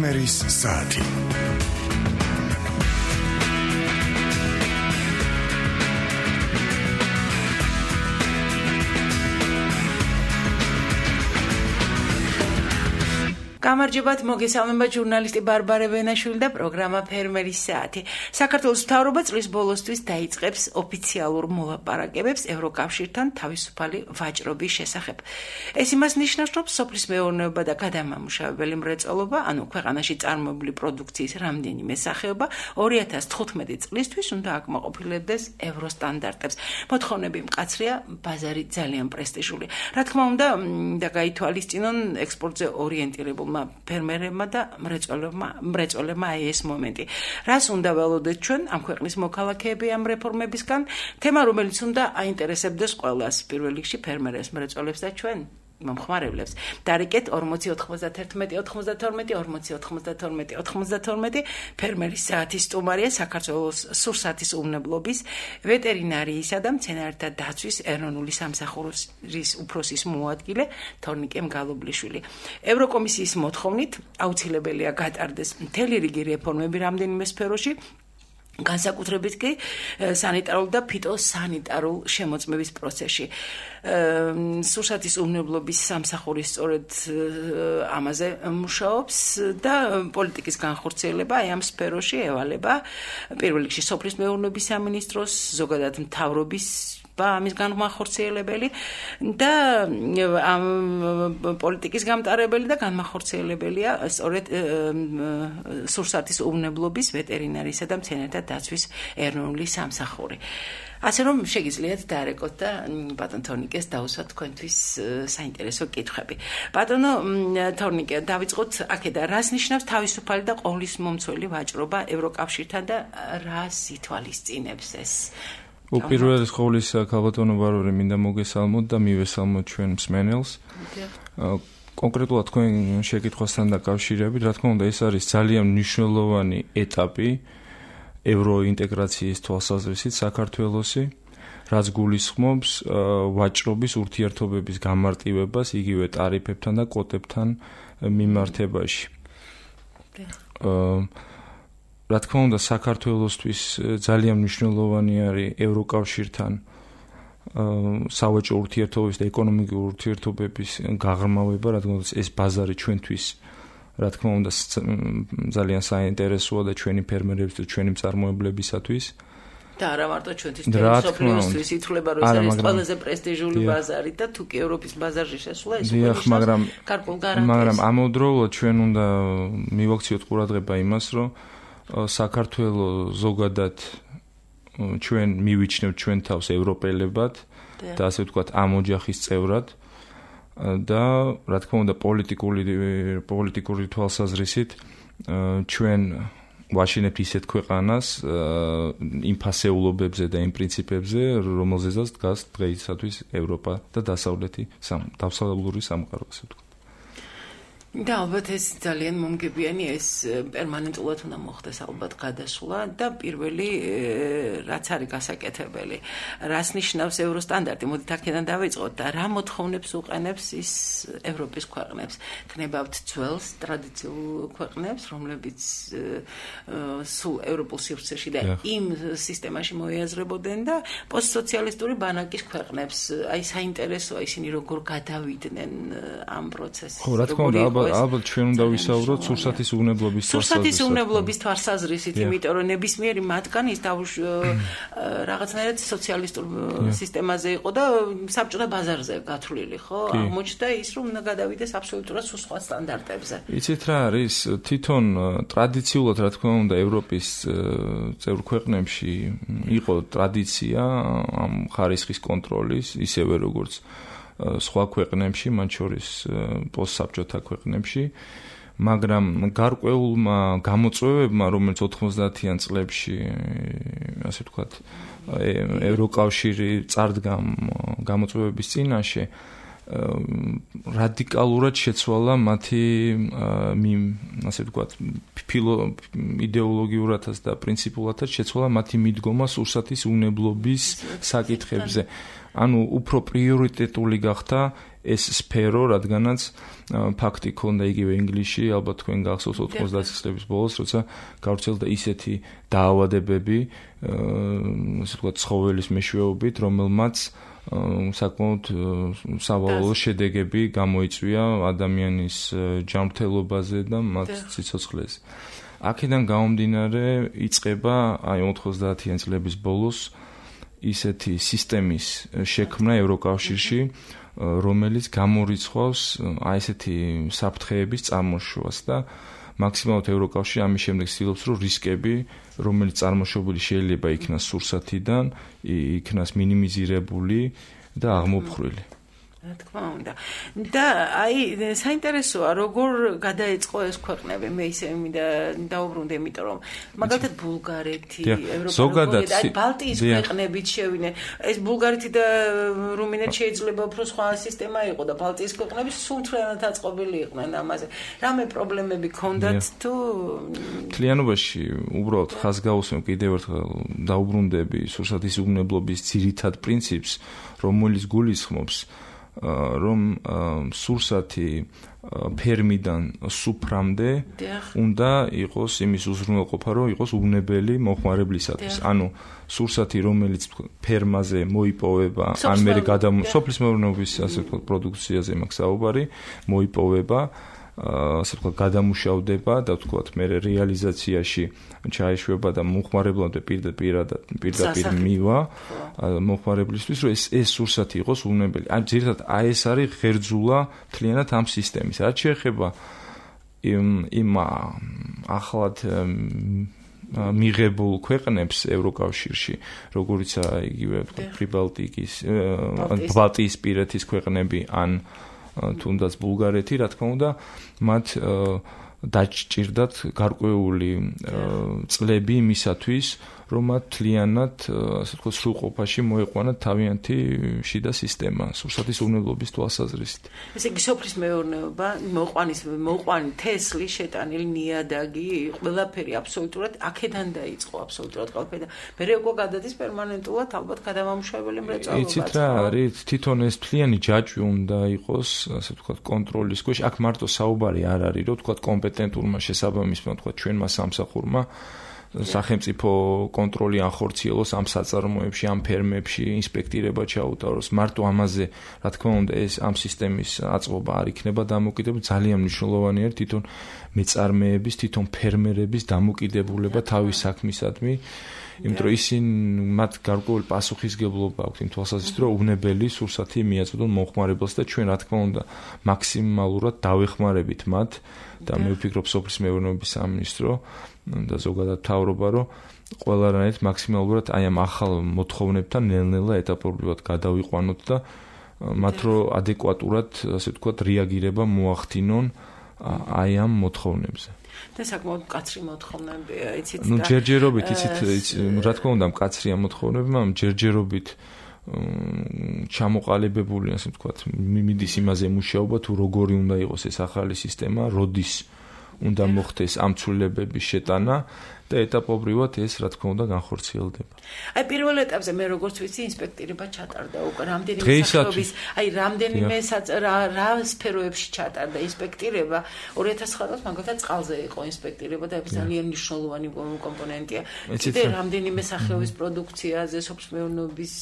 ფერმერის საათი. გამარჯობათ, მოგესალმება ჟურნალისტი ბარბარე ვენაშვილი და პროგრამა ფერმერის საათი. საქართველოს მთავრობა წლის ბოლოსთვის დაიწყებს ოფიციალურ მოლაპარაკებებს ევროკავშირთან თავისუფალი ვაჭრობის შესახებ. ეს იმას ნიშნავს, რომ სოფლის მეურნეობა და გადამამუშავებელი მრეწველობა, ანუ ქვეყანაში წარმოებული პროდუქციის რამდენიმე სახეობა 2015 წლისთვის უნდა აკმაყოფილებდეს ევროსტანდარტებს. მოთხოვნები მკაცრია, ბაზარი ძალიან პრესტიჟული. რა თქმა უნდა, და გაითვალისწინონ ექსპორტზე ორიენტირებულ ფერმერებმა და მრეწველებმა ეს მომენტი. რას უნდა ველოდეთ ჩვენ ამ ქვეყნის მოქალაქეები ამ რეფორმებისგან? თემა, რომელიც უნდა აინტერესებდეს ყველას, პირველ რიგში ფერმერებს, მრეწველებს და ჩვენ მომხმარებლებს. დარიგეთ 40 91 92 40 92 92 ფერმერის საათის სტუმარია საქართველოს სურსათის უმნებლობის ვეტერინარიისა და მცენარეთა დაცვის ეროვნული სამსახურის უფროსის მოადგილე თორნიკე მგალობლიშვილი. ევროკომისიის მოთხოვნით აუცილებელია გატარდეს მთელი რიგი რეფორმები რამდენიმე სფეროში, განსაკუთრებით კი სანიტარულ და ფიტოსანიტარულ შემოწმების პროცესში. სურსათის უმნებლობის სამსახური სწორედ ამაზე მუშაობს და პოლიტიკის განხორციელება ამ სფეროში ევალება პირველ რიგში სოფლის მეურნეობის სამინისტროს, ზოგადად მთავრობის ამის განმახორციელებელი და ამ პოლიტიკის გამტარებელი და განმახორციელებელია სწორედ სურსათის უმნებლობის ვეტერინარისა და მცენარეთა დაცვის ეროვნული სამსახური. ასე რომ შეგიძლიათ დაარეკოთ და ბატონ თორნიკეს დაუსვათ თქვენთვის საინტერესო კითხვები. ბატონო თორნიკე, დავიწყოთ აქედან, რას ნიშნავს თავისუფალი და ყოვლისმომცველი ვაჭრობა ევროკავშირთან და რას ითვალისწინებს ეს? უპირველეს ყოვლისა, ქალბატონო ბარბარე, მინდა მოგესალმოთ და მივესალმოთ ჩვენ მსმენელს. კონკრეტულად თქვენ შეკითხვასთან დაკავშირებით, რა თქმა უნდა, ეს არის ძალიან მნიშვნელოვანი ეტაპი ევროინტეგრაციის თვალსაზრისით საქართველოსი, რაც გულისხმობს ვაჭრობის ურთიერთობების გამარტივებას იგივე ტარიფებთან და კვოტებთან მიმართებაში. რა თქმა უნდა, საქართველოსთვის ძალიან მნიშვნელოვანი არის ევროკავშირთან სავაჭრო ურთიერთობების და ეკონომიკური ურთიერთობების გაღრმავება, რადგან ეს ბაზარი ჩვენთვის, რა თქმა უნდა, ძალიან საინტერესოა და ჩვენი ფერმერების და ჩვენი მწარმოებლებისათვის. და არა მარტო ჩვენთვის, მსოფლიოსთვის ითვლება, რომ ეს არის ყველაზე პრესტიჟული ბაზარი და თუ კი ევროპის ბაზარში შესვლა, ეს გარკვეულ გარანტიას. მაგრამ ამავდროულად ჩვენ უნდა მივაქციოთ ყურადღება იმას, რომ საქართველოს ზოგადად ჩვენ მივიჩნევთ ჩვენ თავს ევროპელებად და ასე ვთქვათ ამ ოჯახის წევრად და რა თქმა უნდა პოლიტიკური თვალსაზრისით ჩვენ ვაშინებთ ისეთ ქვეყანას იმ ფასეულობებზე და იმ პრინციპებზე, რომელზეც დგას დღეისათვის ევროპა და დასავლური სამყარო, ასე ვთქვათ. და ალბათ ეს ძალიან მომგებიანი, ეს პერმანენტულად უნდა მოხდეს ალბათ გადასვლა და პირველი რაც არის გასაკეთებელი, რას ნიშნავს ევროსტანდარტი, მოდით აქედან დავიწყოთ და რა მოთხოვნებს უყენებს ის ევროპის ქვეყნებს. ქნებავთ ძველს ტრადიციულ ქვეყნებს, რომლებიც სულ ევროპულ სივრცეში და იმ სისტემაში მოიაზრებოდნენ და პოსტსოციალისტური ბანაკის ქვეყნებს. აი საინტერესოა ისინი როგორ გადავიდნენ ამ პროცესს. ხო, რა თქმა უნდა, ალბათ ჩვენ უნდა ვისაუბროთ სურსათის უვნებლობის თვალსაზრისით, იმიტომ რომ ნებისმიერი მათგანი ის რაღაცნაირად სოციალისტურ სისტემაზე იყო და საბჭოთა ბაზარზე გათვლილი, ხო? აღმოჩნდა ის, რომ უნდა გადავიდეს აბსოლუტურად სხვა სტანდარტებზე. იცით რა არის? თვითონ ტრადიციულად, რა თქმა უნდა, ევროპის წევრ ქვეყნებში იყო ტრადიცია ამ ხარისხის კონტროლის, ისევე როგორც სხვა ქვეყნებში, მათ შორის პოსტსაბჭოთა ქვეყნებში, მაგრამ გარკვეულმა გამოწვევებმა, რომელიც 90-იან წლებში, ასე ვთქვათ, ევროკავშირი წარდგა გამოწვევების წინაშე, რადიკალურად შეცვალა მათი ასე ვთქვათ იდეოლოგიურადაც და პრინციპულადაც შეცვალა მათი მიდგომა სურსათის უნებლობის საკითხებზე. ანუ უფრო პრიორიტეტული გახდა ეს სფერო, რადგანაც ფაქტი ქონდა იგივე ინგლისში, ალბათ თქვენ გახსოვთ 90-ის წლების ბოლოს, როცა გავრცელდა ისეთი დაავადებები, ასე ვთქვათ, ცხოველის მეშვეობით, რომელმაც საკმაოდ სავალალო შედეგები გამოიწვია ადამიანის ჯანმრთელობაზე და მათ სიცოცხლეზე. აქედან გამომდინარე იწყება აი 90-იანი წლების ბოლოს ისეთი სისტემის შექმნა ევროკავშირში, რომელიც გამორიცხვავს აი ესეთი საფრთხეების წარმოშობას და მაქსიმალურად ევროკავშირი ამის შემდეგ ცდილობს, რომ რისკები, რომელიც წარმოშობილი შეიძლება იქნას სურსათიდან, იქნას მინიმიზირებული და აღმოფხრილი. რა თქმა უნდა. და აი საინტერესოა, როგორ გადაეწყო ეს ქვეყნები, მე ისე დაუბრუნდი, იმიტომ რომ მაგალითად ბულგარეთი, ევროპული, აი ბალტიის ქვეყნებიც შევინე. ეს ბულგარეთი და რუმინეთი შეიძლება უფრო სხვა სისტემა იყო და ბალტიის ქვეყნები სულ მთლიანად აწყობილი იყვნენ ამაზე. რამე პრობლემები ქონდათ თუ მთლიანობაში უბრალოდ ხაზგაუსმევ კიდევ ერთხელ დაუბრუნდები სურსათის უნებლობის ძირითად პრინციპს, რომელიც გულისხმობს რომ სურსათი ფერმიდან სუფრამდე უნდა იყოს იმის უზრუნველყოფა, რომ იყოს უნებელი მოხმარებლისათვის. ანუ სურსათი, რომელიც ფერმაზე მოიპოვება, ან მე სოფლის მეურნეობის ასე ვთქვათ პროდუქციაზე მაქვს საუბარი, მოიპოვება, ასე ვთქვათ გადამუშავდება და ვთქვათ მე რეალიზაციაში ჩაეშვება და მოხმარებლამდე პირდაპირ მივა მოხმარებლისთვის, რომ ეს სურსათი იყოს უნებელი. ან ძირითადად აი ეს არის ღერძულა მთლიანად ამ სისტემის. რაც შეეხება იმ ახლად მიღებულ ქვეყნებს ევროკავშირში, როგორიცაა იგივე პრიბალტიკის, ბალტიის პირეთის ქვეყნები ან თუნდაც ბულგარეთი, რა თქმა უნდა, მათ დაჭირდათ გარკვეული წლები იმისათვის, რომ მათ თლიანად, ასე ვთქვათ, სრულყოფაში მოეყვანათ თავიანთი შიდა სისტემა, სურსათის უნებლობის თვალსაზრისით. ესე იგი, სოფლის მეურნეობა, მოყვანი თესლი, შეტანილი ნიადაგი, ყველაფერი აბსოლუტურად აქედან დაიწყო, აბსოლუტურად ყველაფერი. მერე უკვე გადადის პერმანენტულად ალბათ გადამამუშავებელი მრეწველობა. იცით რა არის, თვითონ ეს მთლიანი ჯაჭვი უნდა იყოს, ასე ვთქვათ, კონტროლის ქვეშ. აქ მარტო საუბარი არ არის, რომ ვთქვათ, კომპეტენტურმა შესაბამისმა, ვთქვათ, ჩვენმა სამსახურმა სახელმწიფო კონტროლი ახორციელოს ამ საწარმოებში, ამ ფერმებში, ინსპექტირება ჩაუტაროს. მარტო ამაზე, რა თქმა უნდა, ეს ამ სისტემის აწყობა არ იქნება დამოკიდებული. ძალიან მნიშვნელოვანი არის თვითონ მეწარმეების, თვითონ ფერმერების დამოკიდებულება თავის საქმისადმი, იმიტომ რომ ისინი მათ გარკვეული პასუხისგებლობა აქვთ იმ თვალსაზრისით, რომ უნებელი სურსათი მიაწოდონ მომხმარებელს და ჩვენ, რა თქმა უნდა, მაქსიმალურად დავეხმარებით მათ და მე ვფიქრობ სოფლის მეურნეობის სამინისტრო და ზოგადად მთავრობა, რომ ყველანაირად მაქსიმალურად აი ამ ახალ მოთხოვნებთან ნელ-ნელა ეტაპობრივად გადავიყვანოთ და მათ რო ადეკვატურად, ასე ვთქვათ, რეაგირება მოახდინონ აი ამ მოთხოვნებზე. და საკმაოდ მკაცრი მოთხოვნებია, იცით და ჯერჯერობით, იცით, რა თქმა უნდა, მკაცრია მოთხოვნები, მაგრამ ჯერჯერობით ჩამოყალიბებული, ასე ვთქვათ, მიდის იმაზე მუშაობა, თუ როგორი უნდა იყოს ეს ახალი სისტემა, როდის უნდა მოხდეს ამ ცვლილებების შეტანა და ეტაპობრივად ეს, რა თქმა უნდა, განხორციელდება. აი პირველ ეტაპზე მე როგორც ვიცი, ინსპექტირება ჩატარდა უკვე რამდენიმე სახეობის, აი რამდენიმე რა სფეროებში ჩატარდა ინსპექტირება. 2009 წელს მაგალითად წყალზე იყო ინსპექტირება და ეს ძალიან მნიშვნელოვანი კომპონენტია. კიდე რამდენიმე სახეობის პროდუქციაზე, სოფლის მეურნეობის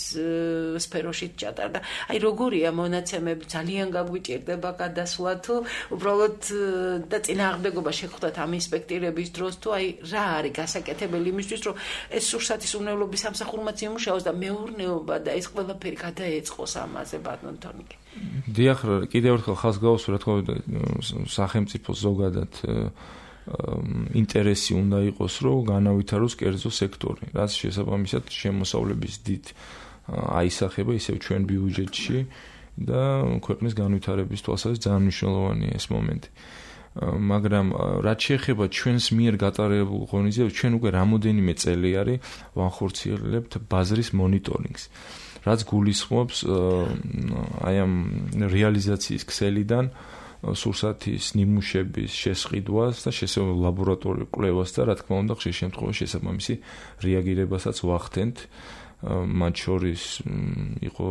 სფეროში ჩატარდა. აი როგორია მონაცემები, ძალიან გაგვიჭირდება გადასვლა თუ უბრალოდ და წინააღმდეგობა შეხვდათ ამ ინსპექტირების დროს თუ აი რა არის გასაკეთებელი იმისთვის, რომ ეს სურსათის უნებლობის სამსახურმაც იმუშაოს და მეურნეობა და ეს ყველაფერი გადაეწყოს ამაზე ბატონ თონიკი. დიახ, კიდევ ერთხელ ხაზს გავუსვა, რა თქმა უნდა, სახელმწიფო ზოგადად ინტერესი უნდა იყოს, რომ განავითაროს კერძო სექტორი, რაც შესაბამისად შემოსავლების დიდ აისახება ისევ ჩვენ ბიუჯეტში და ქვეყნის განვითარების თვალსაზრისით ძალიან მნიშვნელოვანია ეს მომენტი. მაგრამ რაც შეეხება ჩვენს მიერ გატარებულ ღონისძიებას, ჩვენ უკვე რამოდენიმე წელი არის ვახორციელებთ ბაზრის მონიტორინგს. რაც გულისხმობს აი ამ რეალიზაციის ქსელიდან სურსათის ნიმუშების შესყიდვას და შესაძლოა ლაბორატორიულ კვლევას და რა თქმა უნდა ხშირ შემთხვევაში შესაბამისი რეაგირებასაც ვახდენთ. მათ შორის იყო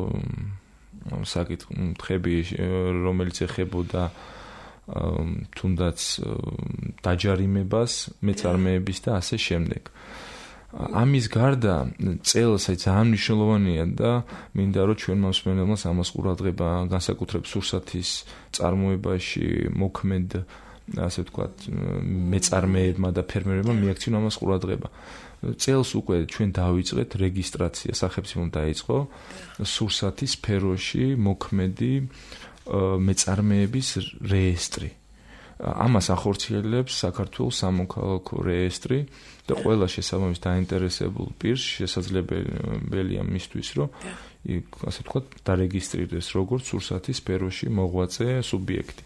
საკითხები, რომელიც ეხებოდა თუნდაც დაჯარიმებას, მეწარმეების და ასე შემდეგ. ამის გარდა წელს ძალიან მნიშვნელოვანია და მინდა რომ ჩვენ მოსმენელს ამას ყურადღება განსაკუთრებით სურსათის წარმოებაში მოქმედ ასე ვთქვათ მეწარმეებმა და ფერმერებმა მიაქციონ ამას ყურადღება. წელს უკვე ჩვენ დავიწყეთ რეგისტრაცია, სახელმწიფომ დაიწყო სურსათის სფეროში მოქმედი მეწარმეების რეესტრი. ამას ახორციელებს საქართველოს სამოქალაქო რეესტრი და ყველა შესაბამის დაინტერესებულ პირს შესაძლებელია მისთვის, რომ ასე ვთქვათ, დარეგისტრირდეს როგორც სურსათის სფეროში მოღვაწე სუბიექტი.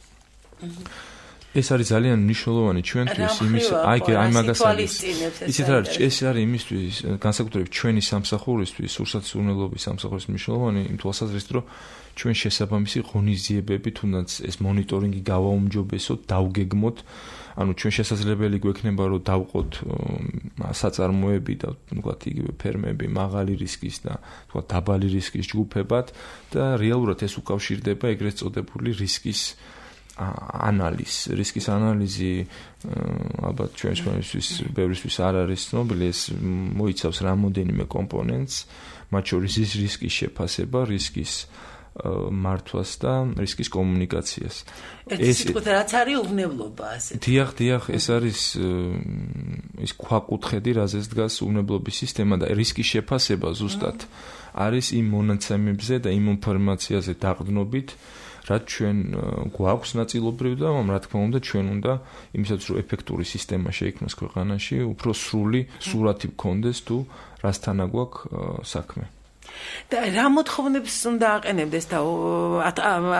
ეს არის ძალიან მნიშვნელოვანი ჩვენთვის იმის აი მაგას არის. იცით რა არის, ეს არის იმისთვის განსაკუთრებით ჩვენი სამსახურისთვის, სურსათის უზრუნველობის სამსახურის მნიშვნელოვანი იმ თვალსაზრისით, რომ ჩვენ შესაბამისი ღონისძიებები თუნდაც ეს მონიტორინგი გავაუმჯობესოთ, დავგეგმოთ, ანუ ჩვენ შესაძლებელი გვექნება რომ დავყოთ საწარმოები და ვთქვათ იგივე ფერმები მაღალი რისკის და ვთქვათ დაბალი რისკის ჯგუფებად და რეალურად ეს უკავშირდება ეგრეთ წოდებული რისკის რისკის ანალიზი ალბათ ჩვენთვის ბევრისთვის არ არის ცნობილი, ეს მოიცავს რამოდენიმე კომპონენტს, მათ შორის ის რისკის შეფასება, რისკის მართვას და რისკის კომუნიკაციას. ეს რაც არის უვნებლობა ასე. დიახ, ეს არის ის ქვაკუთხედი, რაზეც დგას უვნებლობის სისტემა და რისკის შეფასება ზუსტად არის იმ მონაცემებზე და იმ ინფორმაციაზე დაყრდნობით, რაც ჩვენ გვაქვს ნაწილობრივ და რა თქმა უნდა ჩვენ უნდა იმისაც რომ ეფექტური სისტემა შეიქმნას ქვეყანაში, უფრო სრული სურათი გქონდეს თუ რასთანა გვაქვს საქმე. და რა მოთხოვნებს უნდა აყენებდეს და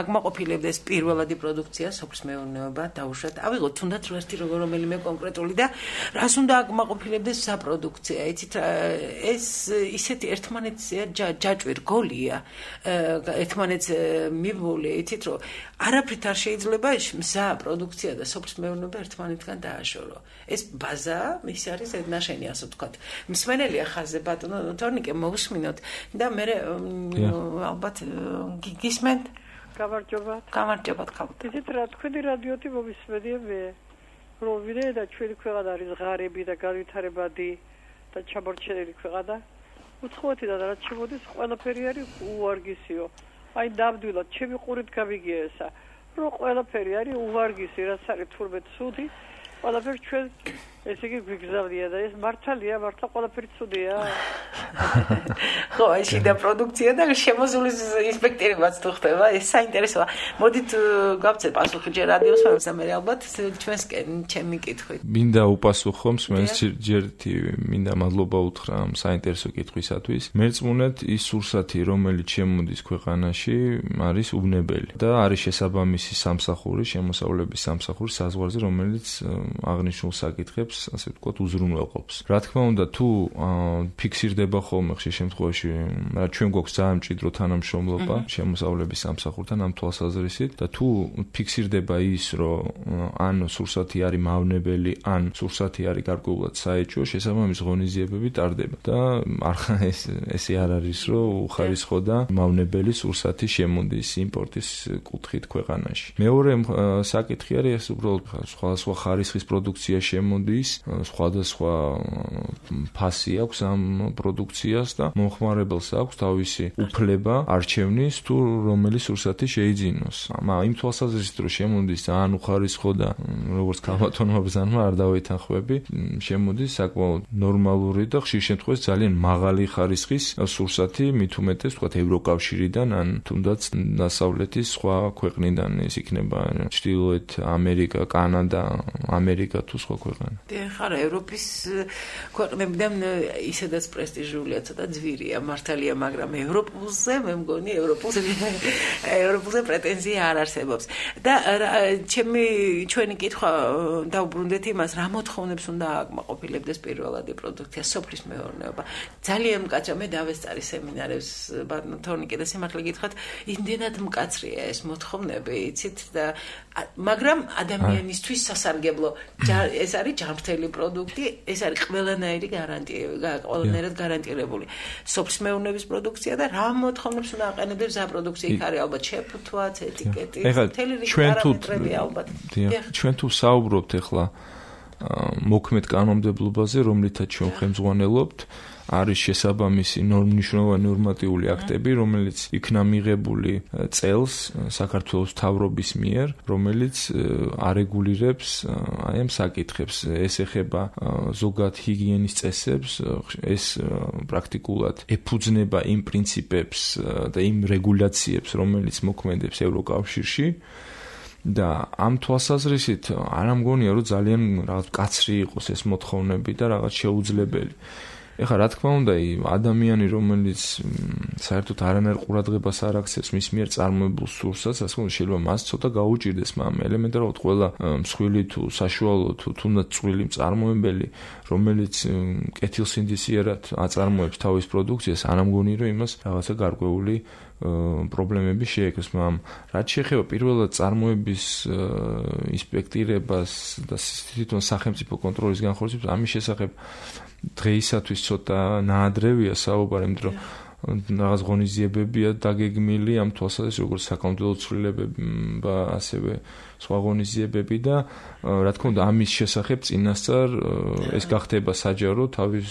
აკმაყოფილებდეს პირველადი პროდუქცია, სოფლის მეურნეობა დაუშვათ. ავიღოთ თუნდაც ერთი რომელიმე კონკრეტული და რას უნდა აკმაყოფილებდეს საპროდუქცია. იცით ეს ისეთი ერთმანეთზე ჯაჭვი რგოლია, ერთმანეთს მიბმული, იცით რომ არაფრით არ შეიძლება მზა პროდუქცია და სოფლის მეურნეობა ერთმანეთთან დააშორო. ეს ბაზა ის არის ზედნაშენი, ასე ვთქვათ. მსმენელია ხაზზე ბატონო თორნიკე მოусმინოთ და მე ალბათ გისმენთ. გამარჯობათ ხალხო. იცით რა თქვენი რადიოთი მომისმენია მე, რომ ვიდრე და ჩვენი ქვეყანა არის ღარიბი და განვითარებადი და ჩამორჩენილი ქვეყანა. უცხოეთიდან რაც შემოდის ყველაფერი არის უვარგისიო. აი ნამდვილად ჩემი ყურით გამიგია ესა, რომ ყველაფერი არის უვარგისი, რაც არის თურმე ცუდი, ყველაფერი ჩვენ ესე იგი გვიგზავნია და ეს მართალია, მართლა ყველაფერი ცუდია. ხო, აი შიდა პროდუქცია და შემოზღულის ინსპექტორებიც თუ ხდება, ეს საინტერესოა. მოდით გავცეთ პასუხი ჯერ რადიოს ფონზე, მე ალბათ ჩვენსკენ ჩემი კითხვით. მინდა უპასუხო მსმენელს ჯერტი მინდა მადლობა უთხრა ამ საინტერესო კითხვისათვის. მერწმუნეთ ის სურსათი, რომელიც შემოდის ქვეყანაში, არის უვნებელი და არის შესაბამისი სამსახური, შემოსავლების სამსახური საზღვარზე, რომელიც აღნიშნულ საკითხებს ასე ვთქვათ უზრუნველყოფს. რა თქმა უნდა, თუ ფიქსირდება ხოლმე ხშირ შემთხვევაში, რა ჩვენ გვაქვს ძალიან მჭიდრო თანამშრომლობა შემოსავლების სამსახურთან ამ თვალსაზრისით და თუ ფიქსირდება ის, რომ ან სურსათი არის მავნებელი, ან სურსათი არის გარკვეულად საეჭვო, შესაბამის ღონისძიებები ტარდება და ესე არ არის, რომ უხარისხო და მავნებელი სურსათი შემოდის იმპორტის კუთხით ქვეყანაში. მეორე საკითხი არის ეს უბრალოდ სხვადასხვა ხარისხის პროდუქცია შემოდის, სხვადასხვა ფასი აქვს ამ პროდუქციას და მომხმარებელს აქვს თავისი უფლება არჩევნის თუ რომელი სურსათი შეიძინოს. იმ თვალსაზრისით რომ შემოდის ძალიან უხარისხო და როგორც ქალბატონმა ბრძანმა არ დავეთანხმები, შემოდის საკმაოდ ნორმალური და ხშირ შემთხვევაში ძალიან მაღალი ხარისხის სურსათი, მით უმეტეს ვთქვათ ევროკავშირიდან ან თუნდაც დასავლეთის სხვა ქვეყნიდან, ეს იქნება ჩრდილოეთ ამერიკა, კანადა, ამერიკა თუ სხვა ქვეყანა. ხარა ევროპის ქვეყნებიდან ისედაც პრესტიჟულია, ცოტა ძვირია მართალია, მაგრამ ევროპულზე მე მგონი ევროპულზე პრეტენზია არ არსებობს. და ჩვენი კითხვა დავუბრუნდეთ იმას, რა მოთხოვნებს უნდა აკმაყოფილებდეს პირველადი პროდუქცია, სოფლის მეურნეობა. ძალიან მკაცრია, მე დავესწარი სემინარებს თორნიკე და სიმართლე გითხრათ, იმდენად მკაცრია ეს მოთხოვნები, იცით და მაგრამ ადამიანისთვის სასარგებლო ეს არის ჯანმრთელი პროდუქტი, ეს არის ყველანაირი ყველანაირად გარანტირებული სოფლის მეურნეობის პროდუქცია და რა მოთხოვნებს უნდა აყენებდეს რა პროდუქცია იქ არის ალბათ შეფუთვაც, ეტიკეტი, მთელი რიგი პარამეტრები ალბათ. ჩვენ თუ საუბრობთ ახლა მოქმედ კანონმდებლობაზე, რომლითაც ჩვენ ხელმძღვანელობთ, არის შესაბამისი მნიშვნელოვანი ნორმატიული აქტები, რომელიც იქნა მიღებული წელს საქართველოს მთავრობის მიერ, რომელიც არეგულირებს აი ამ საკითხებს. ეს ეხება ზოგად ჰიგიენის წესებს, ეს პრაქტიკულად ეფუძნება იმ პრინციპებს და იმ რეგულაციებს, რომელიც მოქმედებს ევროკავშირში. და ამ თვალსაზრისით არ ამგონია, რომ ძალიან რაღაც კაცრი იყოს ეს მოთხოვნები და რაღაც შეუძლებელი. ეხლა რა თქმა უნდა, ადამიანი, რომელიც საერთოდ არანაირ ყურადღებას არ აქცევს მის მიერ წარმოებულ სურსაც, ასე რომ შეიძლება მას ცოტა გაუჭირდეს, მაგრამ ელემენტარულად ყველა მსხვილი თუ საშუალო თუ თუნდაც წვრილი მწარმოებელი, რომელიც კეთილსინდისიერად აწარმოებს თავის პროდუქციას, არ ამგონი, რომ იმას რაღაცა გარკვეული პრობლემები შეექმს, მაგრამ რაც შეეხება პირველად წარმოების ინსპექტირებას და თვითონ სახელმწიფო კონტროლის განხორციელებას, ამის შესახებ დღეისათვის ცოტა ნაადრევია საუბარი, იმიტომ რომ რაღაც ღონისძიებებია დაგეგმილი ამ თვალსაზრისით, როგორც საკანონმდებლო ცვლილებები, ასევე სხვა ღონისძიებები და რა თქმა უნდა ამის შესახებ წინასწარ ეს გახდება საჯარო თავის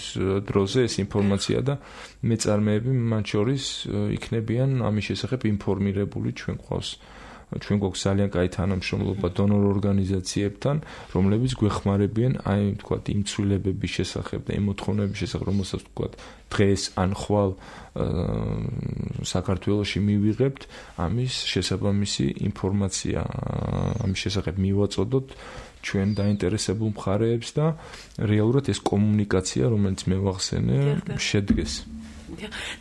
დროზე ეს ინფორმაცია და მეწარმეები მათ შორის იქნებიან ამის შესახებ ინფორმირებული. ჩვენ გვაქვს ძალიან კაი თანამშრომლობა დონორ ორგანიზაციებთან, რომლებიც გვეხმარებიან აი თქვათ იმ ცვლილებების შესახებ და იმ მოთხოვნების შესახებ, რომელსაც თქვათ დღეს ან ხვალ საქართველოში მივიღებთ, ამის შესაბამისი ინფორმაცია ამის შესახებ მივაწოდოთ ჩვენ დაინტერესებულ მხარეებს და რეალურად ეს კომუნიკაცია, რომელიც მე ვახსენე, შედგეს.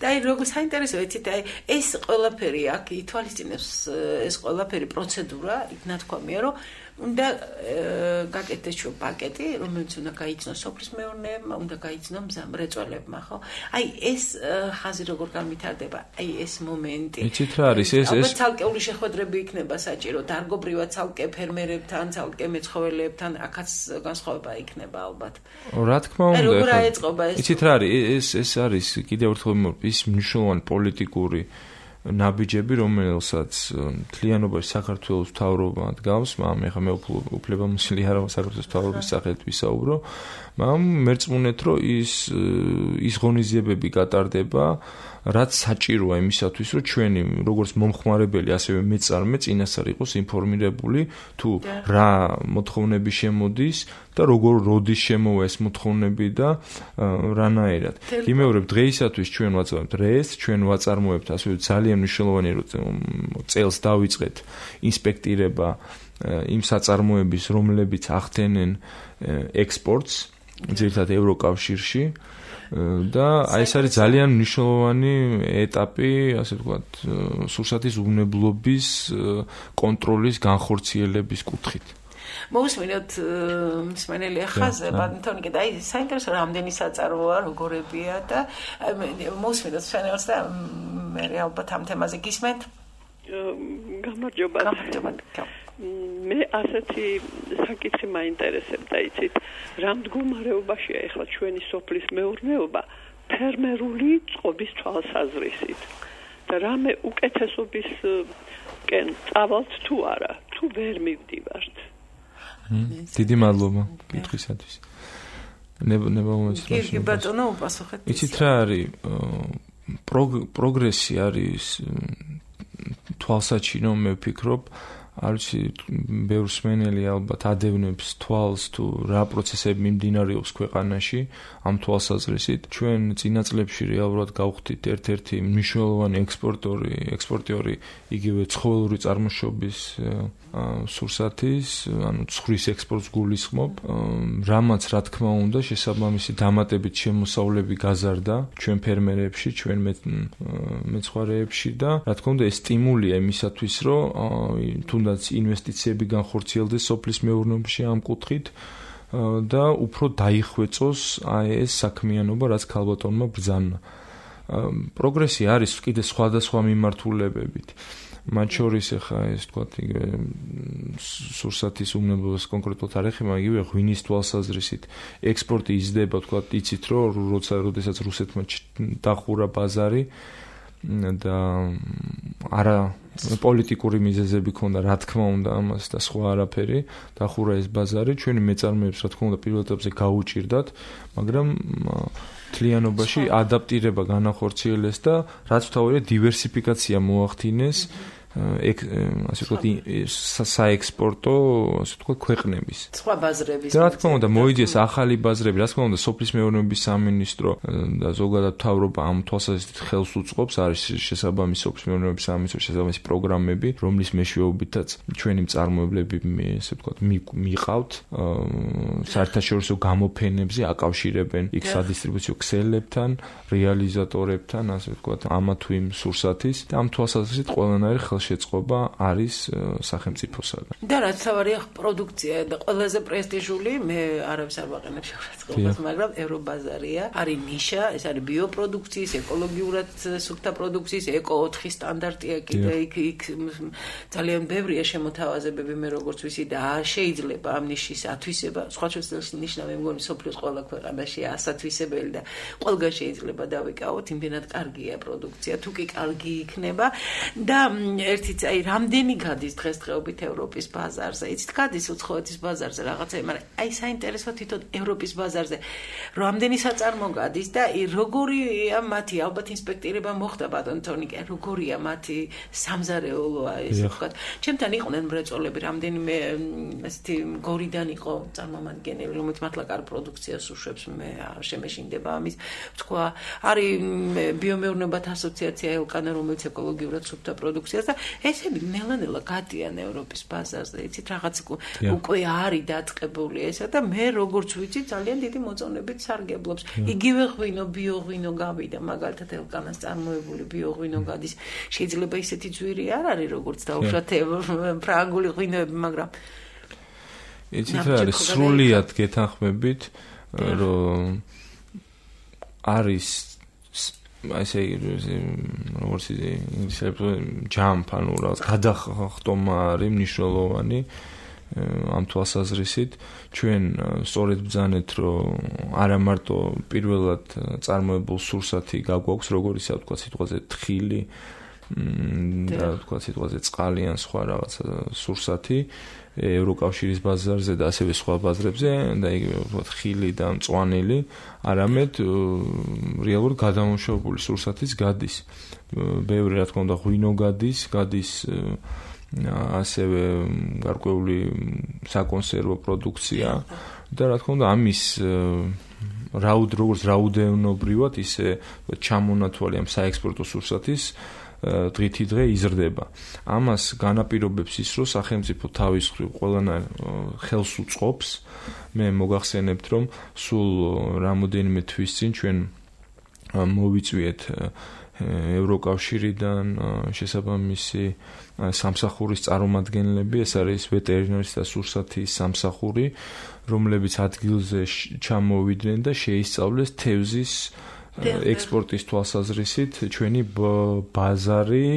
და აი როგორ საინტერესოა, იცით, აი ეს ყველაფერი აქ ითვალისწინებს ეს ყველაფერი პროცედურა, იქ ნათქვამია, რომ უნდა გაკეთდეს ჩვენ პაკეტი, რომელიც უნდა გაიცნოს სოფლის მეურნეებმა, უნდა გაიცნოს მრეწველებმა, ხო? აი ეს ხაზი როგორ განვითარდება, აი ეს მომენტი. იცით რა არის ეს ცალკეული შეხვედრები იქნება საჭირო, დარგობრივად ცალკე ფერმერებთან, ცალკე მეცხოველებთან, აქაც განსხვავება იქნება ალბათ. რა თქმა უნდა, როგორ აეწყობა ეს? იცით რა არის, ეს არის კიდევ ერთხელ ის მნიშვნელოვანი პოლიტიკური ნაბიჯები, რომელსაც მთლიანობაში საქართველოს მთავრობა დგავს, მაგრამ ეხლა მე უფლებამოსილი არ ვარ საქართველოს მთავრობის სახელით ვისაუბრო, მაგრამ მერწმუნეთ, რომ ის ღონისძიებები გატარდება, რაც საჭიროა იმისათვის, რომ ჩვენი როგორც მომხმარებელი, ასევე მეწარმე წინასწარ იყოს ინფორმირებული თუ რა მოთხოვნები შემოდის და როგორ როდის შემოვა ეს მოთხოვნები და რანაირად. იმეორებ დღეისათვის ჩვენ ვაწარმოებთ რეს, ჩვენ ვაწარმოებთ ასევე ძალიან მნიშვნელოვანი წელს დავიწყეთ ინსპექტირება იმ საწარმოების, რომლებიც ახდენენ ექსპორტს ძირითადად ევროკავშირში და აი ეს არის ძალიან მნიშვნელოვანი ეტაპი, ასე ვთქვათ, სურსათის უვნებლობის კონტროლის განხორციელების კუთხით. მოусმინოთ მსმენელი ახაზე, ბატონიკე, და აი საინტერესო რამდენი საწარმოა, როგორებია და მოусმინოთ მსმენელს და მე ალბათ ამ თემაზე გისმენთ. გამარჯობა. მე ასეთი საკითხი მაინტერესებდა, იცით, რა მდგომარეობაშია ახლა ჩვენი სოფლის მეურნეობა ფერმერული წყობის თვალსაზრისით და რამე უკეთესობისკენ წავალთ თუ არა, თუ ვერ მივდივართ. დიდი მადლობა კითხვისათვის. კი ბატონო, უპასუხეთ. იცით რა არის, პროგრესი არის თვალსაჩინო, მე ვფიქრობ, არჩი ბევრ სმენელი ალბათ ადევნებს თვალს თუ რა პროცესები მიმდინარეობს ქვეყანაში ამ თვალსაზრისით ჩვენ წინა წლებში რეალურად გავხდით ერთ-ერთი მნიშვნელოვანი ექსპორტიორი იგივე ცხოველური წარმოშობის სურსათის ანუ ცხვრის ექსპორტს გულისხმობ რამაც რა თქმა უნდა შესაბამისი დამატებით შემოსავლები გაზარდა ჩვენ ფერმერებში ჩვენ მეცხვარეებში და რა თქმა უნდა ეს სტიმულია იმისათვის რომ თუნდაც ინვესტიციები განხორციელდეს სოფლის მეურნეობაში ამ კუთხით და უფრო დაიხვეწოს ეს საქმიანობა რაც ქალბატონმა ბრძანა პროგრესი არის კიდე სხვადასხვა მიმართულებებით მათ შორის ახლა ეს თქვათ სურსათის უმნებლობას კონკრეტულად არ ეხება იგივე ღვინის თვალსაზრისით ექსპორტი იზრდება თქვათ იცით რომ როდესაც რუსეთმა დახურა ბაზარი და არა პოლიტიკური მიზეზები ქონდა რა თქმა უნდა ამას და სხვა არაფერი დახურა ეს ბაზარი ჩვენი მეწარმეებს რა თქმა უნდა პირველ ეტაპზე გაუჭირდათ მაგრამ თლიანობაში ადაპტირება განახორციელეს და რაც თავია დივერსიფიკაცია მოახდინეს ასე ვთქვათ საექსპორტო ასე ვთქვათ ქვეყნების სხვა ბაზრების და რა თქმა უნდა მოიძიეს ახალი ბაზრები რა თქმა უნდა სოფლის მეურნეობის სამინისტრო და ზოგადად მთავრობა ამ თვალსაზრისით ხელს უწყობს არის შესაბამისი სოფლის მეურნეობის სამინისტროს შესაბამისი პროგრამები რომლის მეშვეობითაც ჩვენი მწარმოებლები ასე ვთქვათ მიყავთ საერთაშორისო გამოფენებზე აკავშირებენ იქ სადისტრიბუციო ქსელებთან რეალიზატორებთან ასე ვთქვათ ამა თუ იმ სურსათის და ამ თვალსაზრისით ყველანაირი ხელშეწყობა არის სახელმწიფოსაგან. და რაც თავარია პროდუქცია და ყველაზე პრესტიჟული მე არავის არ ვაყენებ შეურაცხყოფას, მაგრამ ევრობაზარია, არის ნიშა, ეს არის ბიოპროდუქციის, ეკოლოგიურად სუფთა პროდუქციის, ეკო-4 სტანდარტია კიდე იქ ძალიან ბევრია შემოთავაზებები მე როგორც ვიცი და შეიძლება ამ ნიშის ათვისება, სხვა შეცდომის ნიშნა მე მგონი სოფლიოს ყველა ქვეყანაში ასათვისებელი და ყველგან შეიძლება დავიკავოთ, იმდენად კარგია პროდუქცია, თუ კი კარგი იქნება და ერთიც აი რამდენი გადის დღესდღეობით ევროპის ბაზარზე იცით გადის უცხოეთის ბაზარზე რაღაცა მაგრამ აი საინტერესო თვითონ ევროპის ბაზარზე რამდენი საწარმო გადის და როგორია მათი ალბათ ინსპექტირება მოხდა ბატონ თონიკე როგორია მათი სამზარეულოა ეს ვთქვათ ჩემთან იყვნენ მრეწველები რამდენიმე ესეთი გორიდან იყო წარმომადგენელი რომელიც მართლა კარგ პროდუქციას უშვებს მე შემეშინდება ამის თქვა არის ბიომეურნეობათა ასოციაცია ელკანა რომელიც ეკოლოგიურად სუფთა პროდუქციას და ესები ნელა-ნელა გადიან ევროპის ბაზარზე, იცით, რაღაც უკვე არის დაწყებული ესა და მე როგორც ვიცი, ძალიან დიდი მოწონებით სარგებლობს. იგივე ღვინო, ბიოღვინო გავიდა, მაგალითად ელკანას წარმოებული ბიოღვინო გადის. შეიძლება ისეთი ძვირი არ არის, როგორც დაუშვათ ფრანგული ღვინოები, მაგრამ იცით რა არის სრულიად გეთანხმებით, რომ არის ასე როგორც ინგლისურად jump ანუ რაღაც გადახტომა არის მნიშვნელოვანი ამ თვალსაზრისით ჩვენ სწორედ ბრძანეთ რომ არა მარტო პირველად წარმოებულ სურსათი გაგვაქვს როგორც ისე ვთქვა სიტყვაზე თხილი და ვთქვა სიტყვაზე წყალი ან სხვა რაღაცა სურსათი ევროკავშირის ბაზარზე და ასევე სხვა ბაზრებზე და იგივე ვთქვათ ხილი და მწვანილი არამედ რეალურად გადამამუშავებული სურსათიც გადის ბევრი რა თქმა უნდა ღვინო გადის ასევე გარკვეული საკონსერვო პროდუქცია და რა თქმა უნდა ამის როგორც რაოდენობრივად ისე ჩამონათვალი ამ საექსპორტო სურსათის დღითი დღე იზრდება. ამას განაპირობებს ის, რომ სახელმწიფო თავის მხრივ ყველანაირ ხელს უწყობს. მე მოგახსენებთ, რომ სულ რამოდენიმე თვის წინ ჩვენ მოვიწვიეთ ევროკავშირიდან შესაბამისი სამსახურის წარმომადგენლები, ეს არის ვეტერინარის და სურსათის სამსახური, რომლებიც ადგილზე ჩამოვიდნენ და შეისწავლეს თევზის ექსპორტის თვალსაზრისით ჩვენი ბაზარი,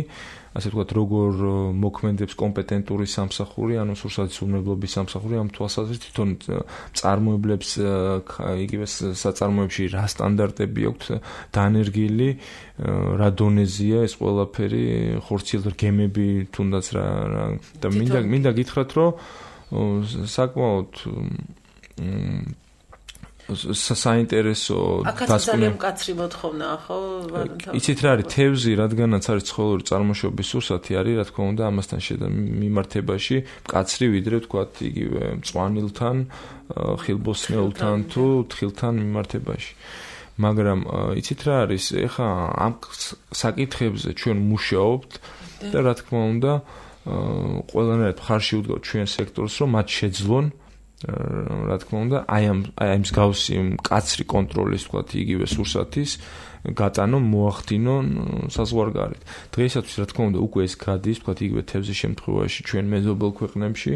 ასე ვთქვათ, როგორ მოქმედებს კომპეტენტური სამსახური, ანუ სურსათის უმრავლობის სამსახური ამ თვალსაზრისით თვითონ წარმოებლებს იგივე საწარმოებში რა სტანდარტები აქვს დანერგილი, რა დონეზია ეს ყველაფერი, ხორციელდა გემები თუნდაც რა და მინდა გითხრათ, რომ საკმაოდ საინტერესო აქაც ძალიან მკაცრი მოთხოვნა ხო? იცით რა არის თევზი, რადგანაც არის ცხოველური წარმოშობის სურსათი არის, რა თქმა უნდა, ამასთან მიმართებაში მკაცრი ვიდრე ვთქვათ იგივე მწვანილთან, ხილბოსნეულთან თუ თხილთან მიმართებაში. მაგრამ იცით რა არის, ეხა ამ საკითხებზე ჩვენ მუშაობთ და რა თქმა უნდა, ყველანაირად მხარში ვდგავთ ჩვენ სექტორს, რომ მათ შეძლონ რა თქმა უნდა, აი ამ მსგავსი მკაცრი კონტროლის ვთქვათ იგივე სურსათის გატანონ, მოახდინონ საზღვარგარეთ. დღეისათვის რა თქმა უნდა უკვე ეს გადის, ვთქვათ იგივე თევზის შემთხვევაში ჩვენ მეზობელ ქვეყნებში,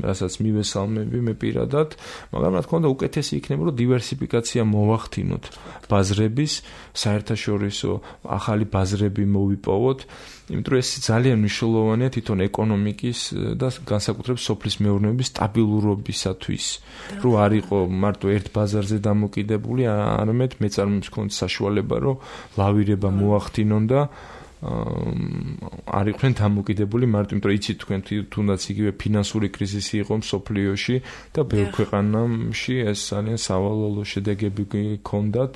რასაც მივესალმები მე პირადად, მაგრამ რა თქმა უნდა უკეთესი იქნება, რომ დივერსიფიკაცია მოახდინოთ ბაზრების, საერთაშორისო ახალი ბაზრები მოვიპოვოთ. იმიტომ ეს ძალიან მნიშვნელოვანია თვითონ ეკონომიკის და განსაკუთრებით სოფლის მეურნეობის სტაბილურობისათვის, რომ არ იყო მარტო ერთ ბაზარზე დამოკიდებული, არამედ მეწარმეებს ჰქონდათ საშუალება, რომ ლავირება მოახდინონ და არ იყვნენ დამოკიდებული მარტო, იმიტომ რომ იცით თქვენ თუნდაც იგივე ფინანსური კრიზისი იყო მსოფლიოში და ბევრ ქვეყანაში ეს ძალიან სავალალო შედეგები ჰქონდათ.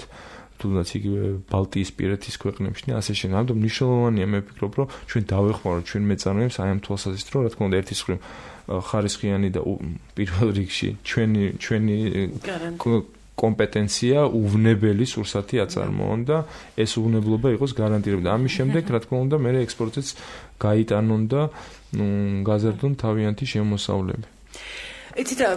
თუნდაც იგივე ბალტიისპირეთის ქვეყნებში და ასე შემდეგ. ამიტომ მნიშვნელოვანია მე ვფიქრობ, რომ ჩვენ დავეხმაროთ ჩვენ მეწარმეებს აი ამ თვალსაზრისით, რომ რა თქმა უნდა ერთის მხრივ ხარისხიანი და პირველ რიგში ჩვენი კომპეტენცია უვნებელი სურსათი აწარმოონ და ეს უვნებლობა იყოს გარანტირებული. ამის შემდეგ რა თქმა უნდა მე ექსპორტიც გაიტანონ და გაზარდონ თავიანთი შემოსავლები. იცით რა,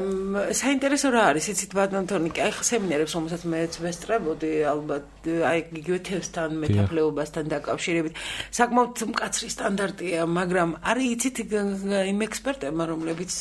საინტერესო რა არის, იცით ბატონ თორნიკე, აი სემინარებს, რომელსაც მეც ვესწრებოდი, ალბათ, აი იგივე თევზთან, მეტაფლეობასთან დაკავშირებით, საკმაოდ მკაცრი სტანდარტია, მაგრამ არის იცით იმ ექსპერტებმა, რომლებიც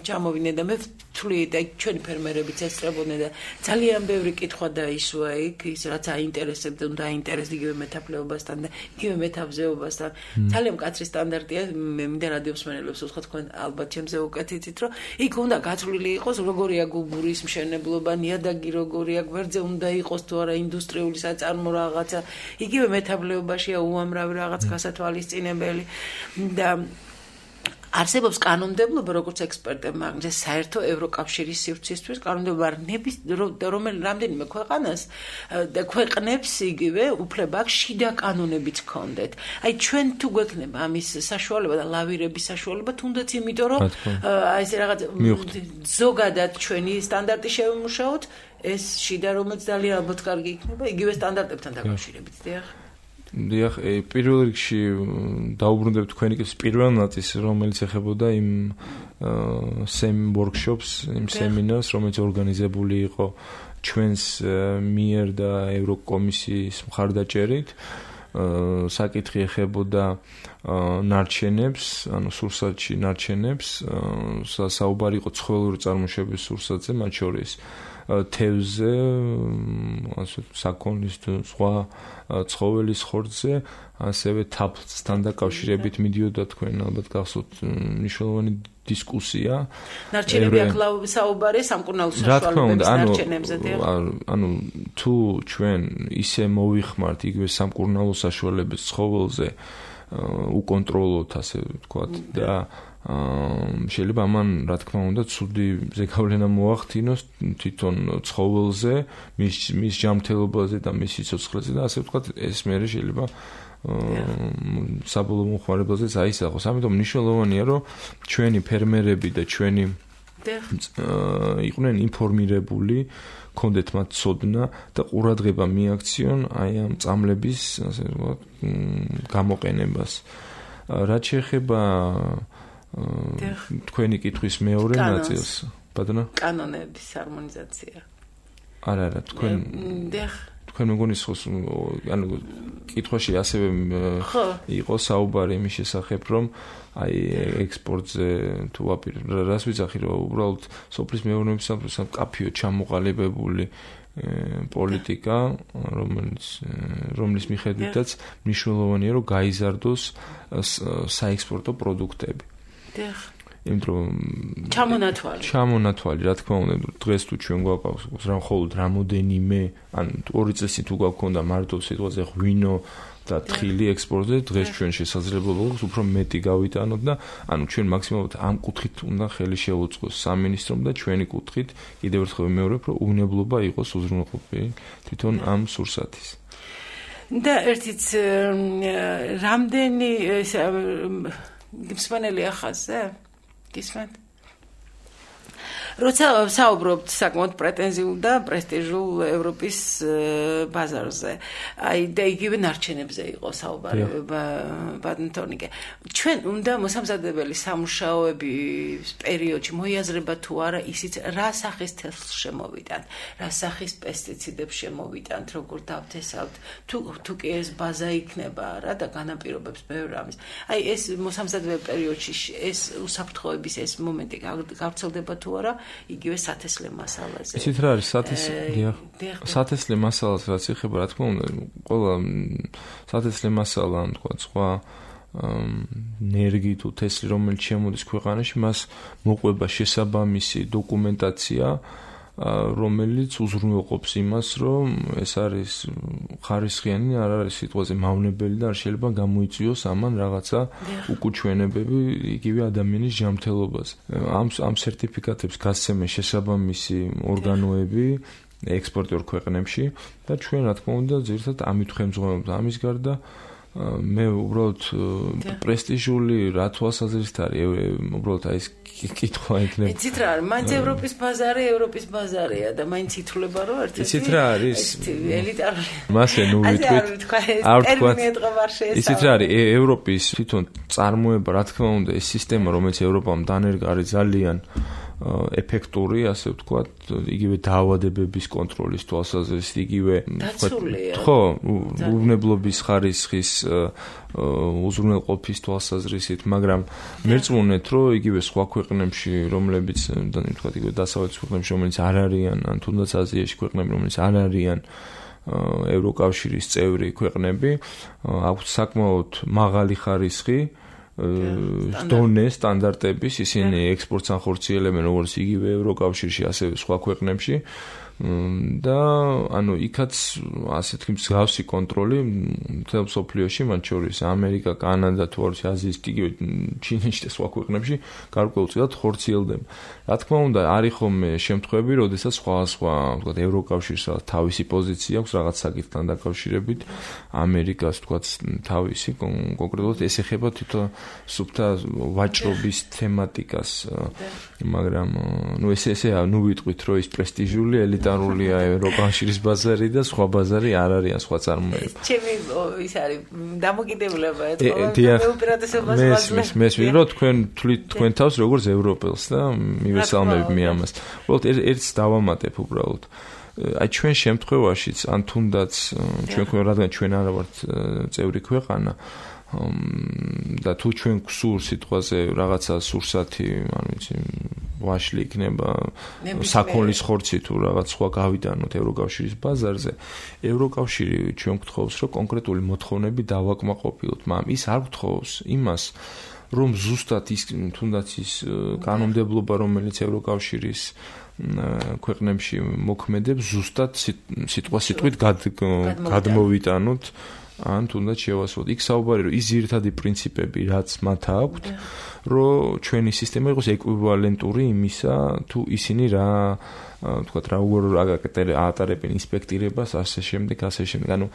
ჩამოვიდნენ და მე ვთვლი, აი ჩვენი ფერმერებიც ესწრებოდნენ და ძალიან ბევრი კითხვა დაისვა იქ, ის რაც აინტერესებდა, უნდა აინტერესდეს იგივე მეტაფლეობასთან და იგივე მეტავზეობასთან. ძალიან მკაცრი სტანდარტია, მე მინდა რადიოსმენელებს ვუსხოთ, თქვენ ალბათ ჩემზე უკეთ იცით, რომ იქ უნდა გათვლილი იყოს როგორია გუბურის მშენებლობა, ნიადაგი როგორია, გვერდზე უნდა იყოს თუ არა ინდუსტრიული საწარმო რაღაცა, იგივე მეტაბლეობაშია უამრავი რაღაც გასათვალისწინებელი და არსებობს კანონმდებლობა, როგორც ექსპერტებმა, მაგრამ საერთო ევროკავშირის სივრცისთვის კანონმდებლობა რამდენიმე ქვეყანას და ქვეყნებს იგივე უფლება აქვს შიდა კანონებიც ჰქონდეთ. აი ჩვენ თუ გვექნება ამის საშუალება და ლავირების საშუალება, თუნდაც იმიტომ რომ აი ეს რაღაც ზოგადად ჩვენი სტანდარტი შევიმუშაოთ, ეს შიდა რომელიც ძალიან ალბათ კარგი იქნება იგივე სტანდარტებთან დაკავშირებით, დიახ. დიახ, პირველ რიგში დაუბრუნდებ თქვენი პირველ ნაწილს, რომელიც ეხებოდა იმ workshops, იმ სემინარს, რომელიც ორგანიზებული იყო ჩვენს მიერ და ევროკომისიის მხარდაჭერით. საკითხი ეხებოდა ნარჩენებს, ანუ სურსათში ნარჩენებს, საუბარი იყო ცხოველური წარმოშობის სურსათზე, მათ შორის თევზზე, ასე საქონლის თუ სხვა ცხოველის ხორცზე, ასევე თაფლთან დაკავშირებით მიდიოდა თქვენ ალბათ გახსოვთ მნიშვნელოვანი დისკუსია. ნარჩენები აქ საუბარია სამკურნალო საშუალებების ნარჩენებზე, ანუ თუ ჩვენ ისე მოვიხმართ იგივე სამკურნალო საშუალების ცხოველზე უკონტროლოთ, ასე ვთქვათ და შეიძლება ამან რა თქმა უნდა ცუდი ზეგავლენა მოახდინოს თვითონ ცხოველზე, მის ჯანმრთელობაზე და მის სიცოცხლეზე და ასე ვთქვათ ეს მერე შეიძლება საბოლოო მომხმარებელზეც აისახოს. ამიტომ მნიშვნელოვანია რომ ჩვენი ფერმერები და ჩვენი იყვნენ ინფორმირებული, ქონდეთ მათ ცოდნა და ყურადღება მიაქციონ აი ამ წამლების ასე ვთქვათ გამოყენებას. რაც შეეხება თქვენი კითხვის მეორე ნაწილს, ბატონო? კანონების ჰარმონიზაცია. არა, თქვენ მეგონის ხოს, ანუ კითხვაში ასევე იყო საუბარი იმის შესახებ, რომ აი ექსპორტზე თუ რას ვიცახი, რომ უბრალოდ სოფლის მეურნეობის მკაფიო ჩამოყალიბებული პოლიტიკა, რომლის მიხედვითაც მნიშვნელოვანია, რომ გაიზარდოს საექსპორტო პროდუქტები. იმიტომ ჩამონათვალი, რა თქმა უნდა, დღეს თუ ჩვენ გვაქვს მხოლოდ რამოდენიმე, ან 2 წელი თუ გვაქვს მარტო სიტუაცია ღვინო და თხილი ექსპორტზე, დღეს ჩვენ შესაძლებლობა გვაქვს უფრო მეტი გავიტანოთ და ანუ ჩვენ მაქსიმალურად ამ კუთხით უნდა ხელი შეუწყოს სამინისტრომ და ჩვენი კუთხით კიდევ ერთხელ ვიმეორებ, რომ უნებლობა იყოს უზრუნველყოფილი თვითონ ამ სურსათის. და ერთიც რამდენი მსმენელი ახალზე? გისმენთ? როცა საუბრობთ საკმაოდ პრეტენზიულ და პრესტიჟულ ევროპის ბაზარზე, აი და იგივე ნარჩენებზე იყო საუბარი ბადმინტონიკე. ჩვენ უნდა მოსამზადებელი სამუშაოების პერიოდში მოიაზრება თუ არა ისიც რა სახის თესლს შემოვიტანთ, რა სახის პესტიციდებს შემოვიტანთ, როგორ დავთესავთ, თუ კი ეს ბაზა იქნება რა და განაპირობებს ბევრ ამის. აი ეს მოსამზადებელი პერიოდში ეს უსაფრთხოების ეს მომენტი გავრცელდება თუ არა იგივე სათესლე მასალაზე. ისიც რა არის სათესლე მასალას რაც ეხება, რა თქმა უნდა, ყველა სათესლე მასალა, ან თქვა სხვა ნერგი თუ თესლი, რომელიც შემოდის ქვეყანაში, მას მოყვება შესაბამისი დოკუმენტაცია, რომელიც უზრუნველყოფს იმას, რომ ეს არის ხარისხიანი, არ არის სიტყვაზე მავნებელი და არ შეიძლება გამოიწვიოს ამან რაღაცა უკუჩვენებები იგივე ადამიანის ჯანმრთელობაზე. ამ სერტიფიკატებს გასცემენ შესაბამისი ორგანოები ექსპორტიორ ქვეყნებში და ჩვენ რა თქმა უნდა ძირითადად ამით ხელმძღვანელობთ. ამის გარდა მე უბრალოდ პრესტიჟული რა თვალსაზრისით არის უბრალოდ აი ეს კითხვა იქნება. იცით რა არის? მაინც ევროპის ბაზარია და მაინც ითვლება რომ ერთ-ერთი იცით რა არის? ელიტარული. მასე ნუ ვიტყვით. არ ვთქვა. იცით რა არის? ევროპის თვითონ წარმოება, რა თქმა უნდა, ეს სისტემა, რომელიც ევროპამ დანერგა არის ძალიან ეფექტური, ასე ვთქვათ, იგივე დაავადებების კონტროლის თვალსაზრისით, იგივე ხო, უვნებლობის ხარისხის უზრუნველყოფის თვალსაზრისით, მაგრამ მერწმუნეთ, რომ იგივე სხვა ქვეყნებში, რომლებიც, ვთქვათ, იგივე დასავლეთის ქვეყნებში, რომელიც არ არიან, ან თუნდაც აზიაში ქვეყნები, რომელიც არ არიან ევროკავშირის წევრი ქვეყნები, აქვთ საკმაოდ მაღალი ხარისხი დონე სტანდარტების, ისინი ექსპორტს ახორციელებენ როგორც იგივე ევროკავშირში, ასევე სხვა ქვეყნებში და ანუ იქაც ასეთი მსგავსი კონტროლი მთელ მსოფლიოში, მათ შორის ამერიკა, კანადა, თუ არის აზიის, იგივე ჩინეთში და სხვა ქვეყნებში გარკვეულწილად ხორციელდება. რა თქმა უნდა, არის ხოლმე შემთხვევები, როდესაც სხვა ვთქვათ, ევროკავშირს თავისი პოზიცია აქვს რაღაც საკითხთან დაკავშირებით, ამერიკას ვთქვათ თავისი კონკრეტულად ეს ეხება თვითონ სუფთა ვაჭრობის თემატიკას, მაგრამ ნუ ესეა, ნუ ვიტყვით, რომ ის პრესტიჟული ელიტარულია ევროკავშირის ბაზარი და სხვა ბაზარი არ არიან სხვა წარმოება. ჩემი ის არის დამოკიდებულება ეთქვა მე უპირატესობას ვაძლევ. მესმის რომ თქვენ თვლით თქვენ თავს როგორც ევროპელს და მივესალმებით მე ამას. უბრალოდ ერთს დავამატებ უბრალოდ. აი ჩვენ შემთხვევაშიც ან თუნდაც რადგან ჩვენ არა ვართ წევრი ქვეყანა და თუ ჩვენ გსურს სიტყვაზე რაღაცა სურსათი, ანუ იცი ვაშლი იქნება საქონლის ხორცი თუ რაღაც სხვა გავიტანოთ ევროკავშირის ბაზარზე, ევროკავშირი ჩვენ გთხოვს, რომ კონკრეტული მოთხოვნები დავაკმაყოფილოთ, მაგრამ ის არ გთხოვს იმას, რომ ზუსტად ის თუნდაც ის კანონმდებლობა, რომელიც ევროკავშირის ქვეყნებში მოქმედებს, ზუსტად სიტყვით გადმოვიტანოთ ან თუნდაც შევასრულოთ. იქ საუბარი რომ ის ძირითადი პრინციპები, რაც მათ აქვთ, რომ ჩვენი სისტემა იყოს ეკვივალენტური იმისა, თუ ისინი რა ვთქვათ, რა ატარებენ ინსპექტირებას, ასე შემდეგ. ანუ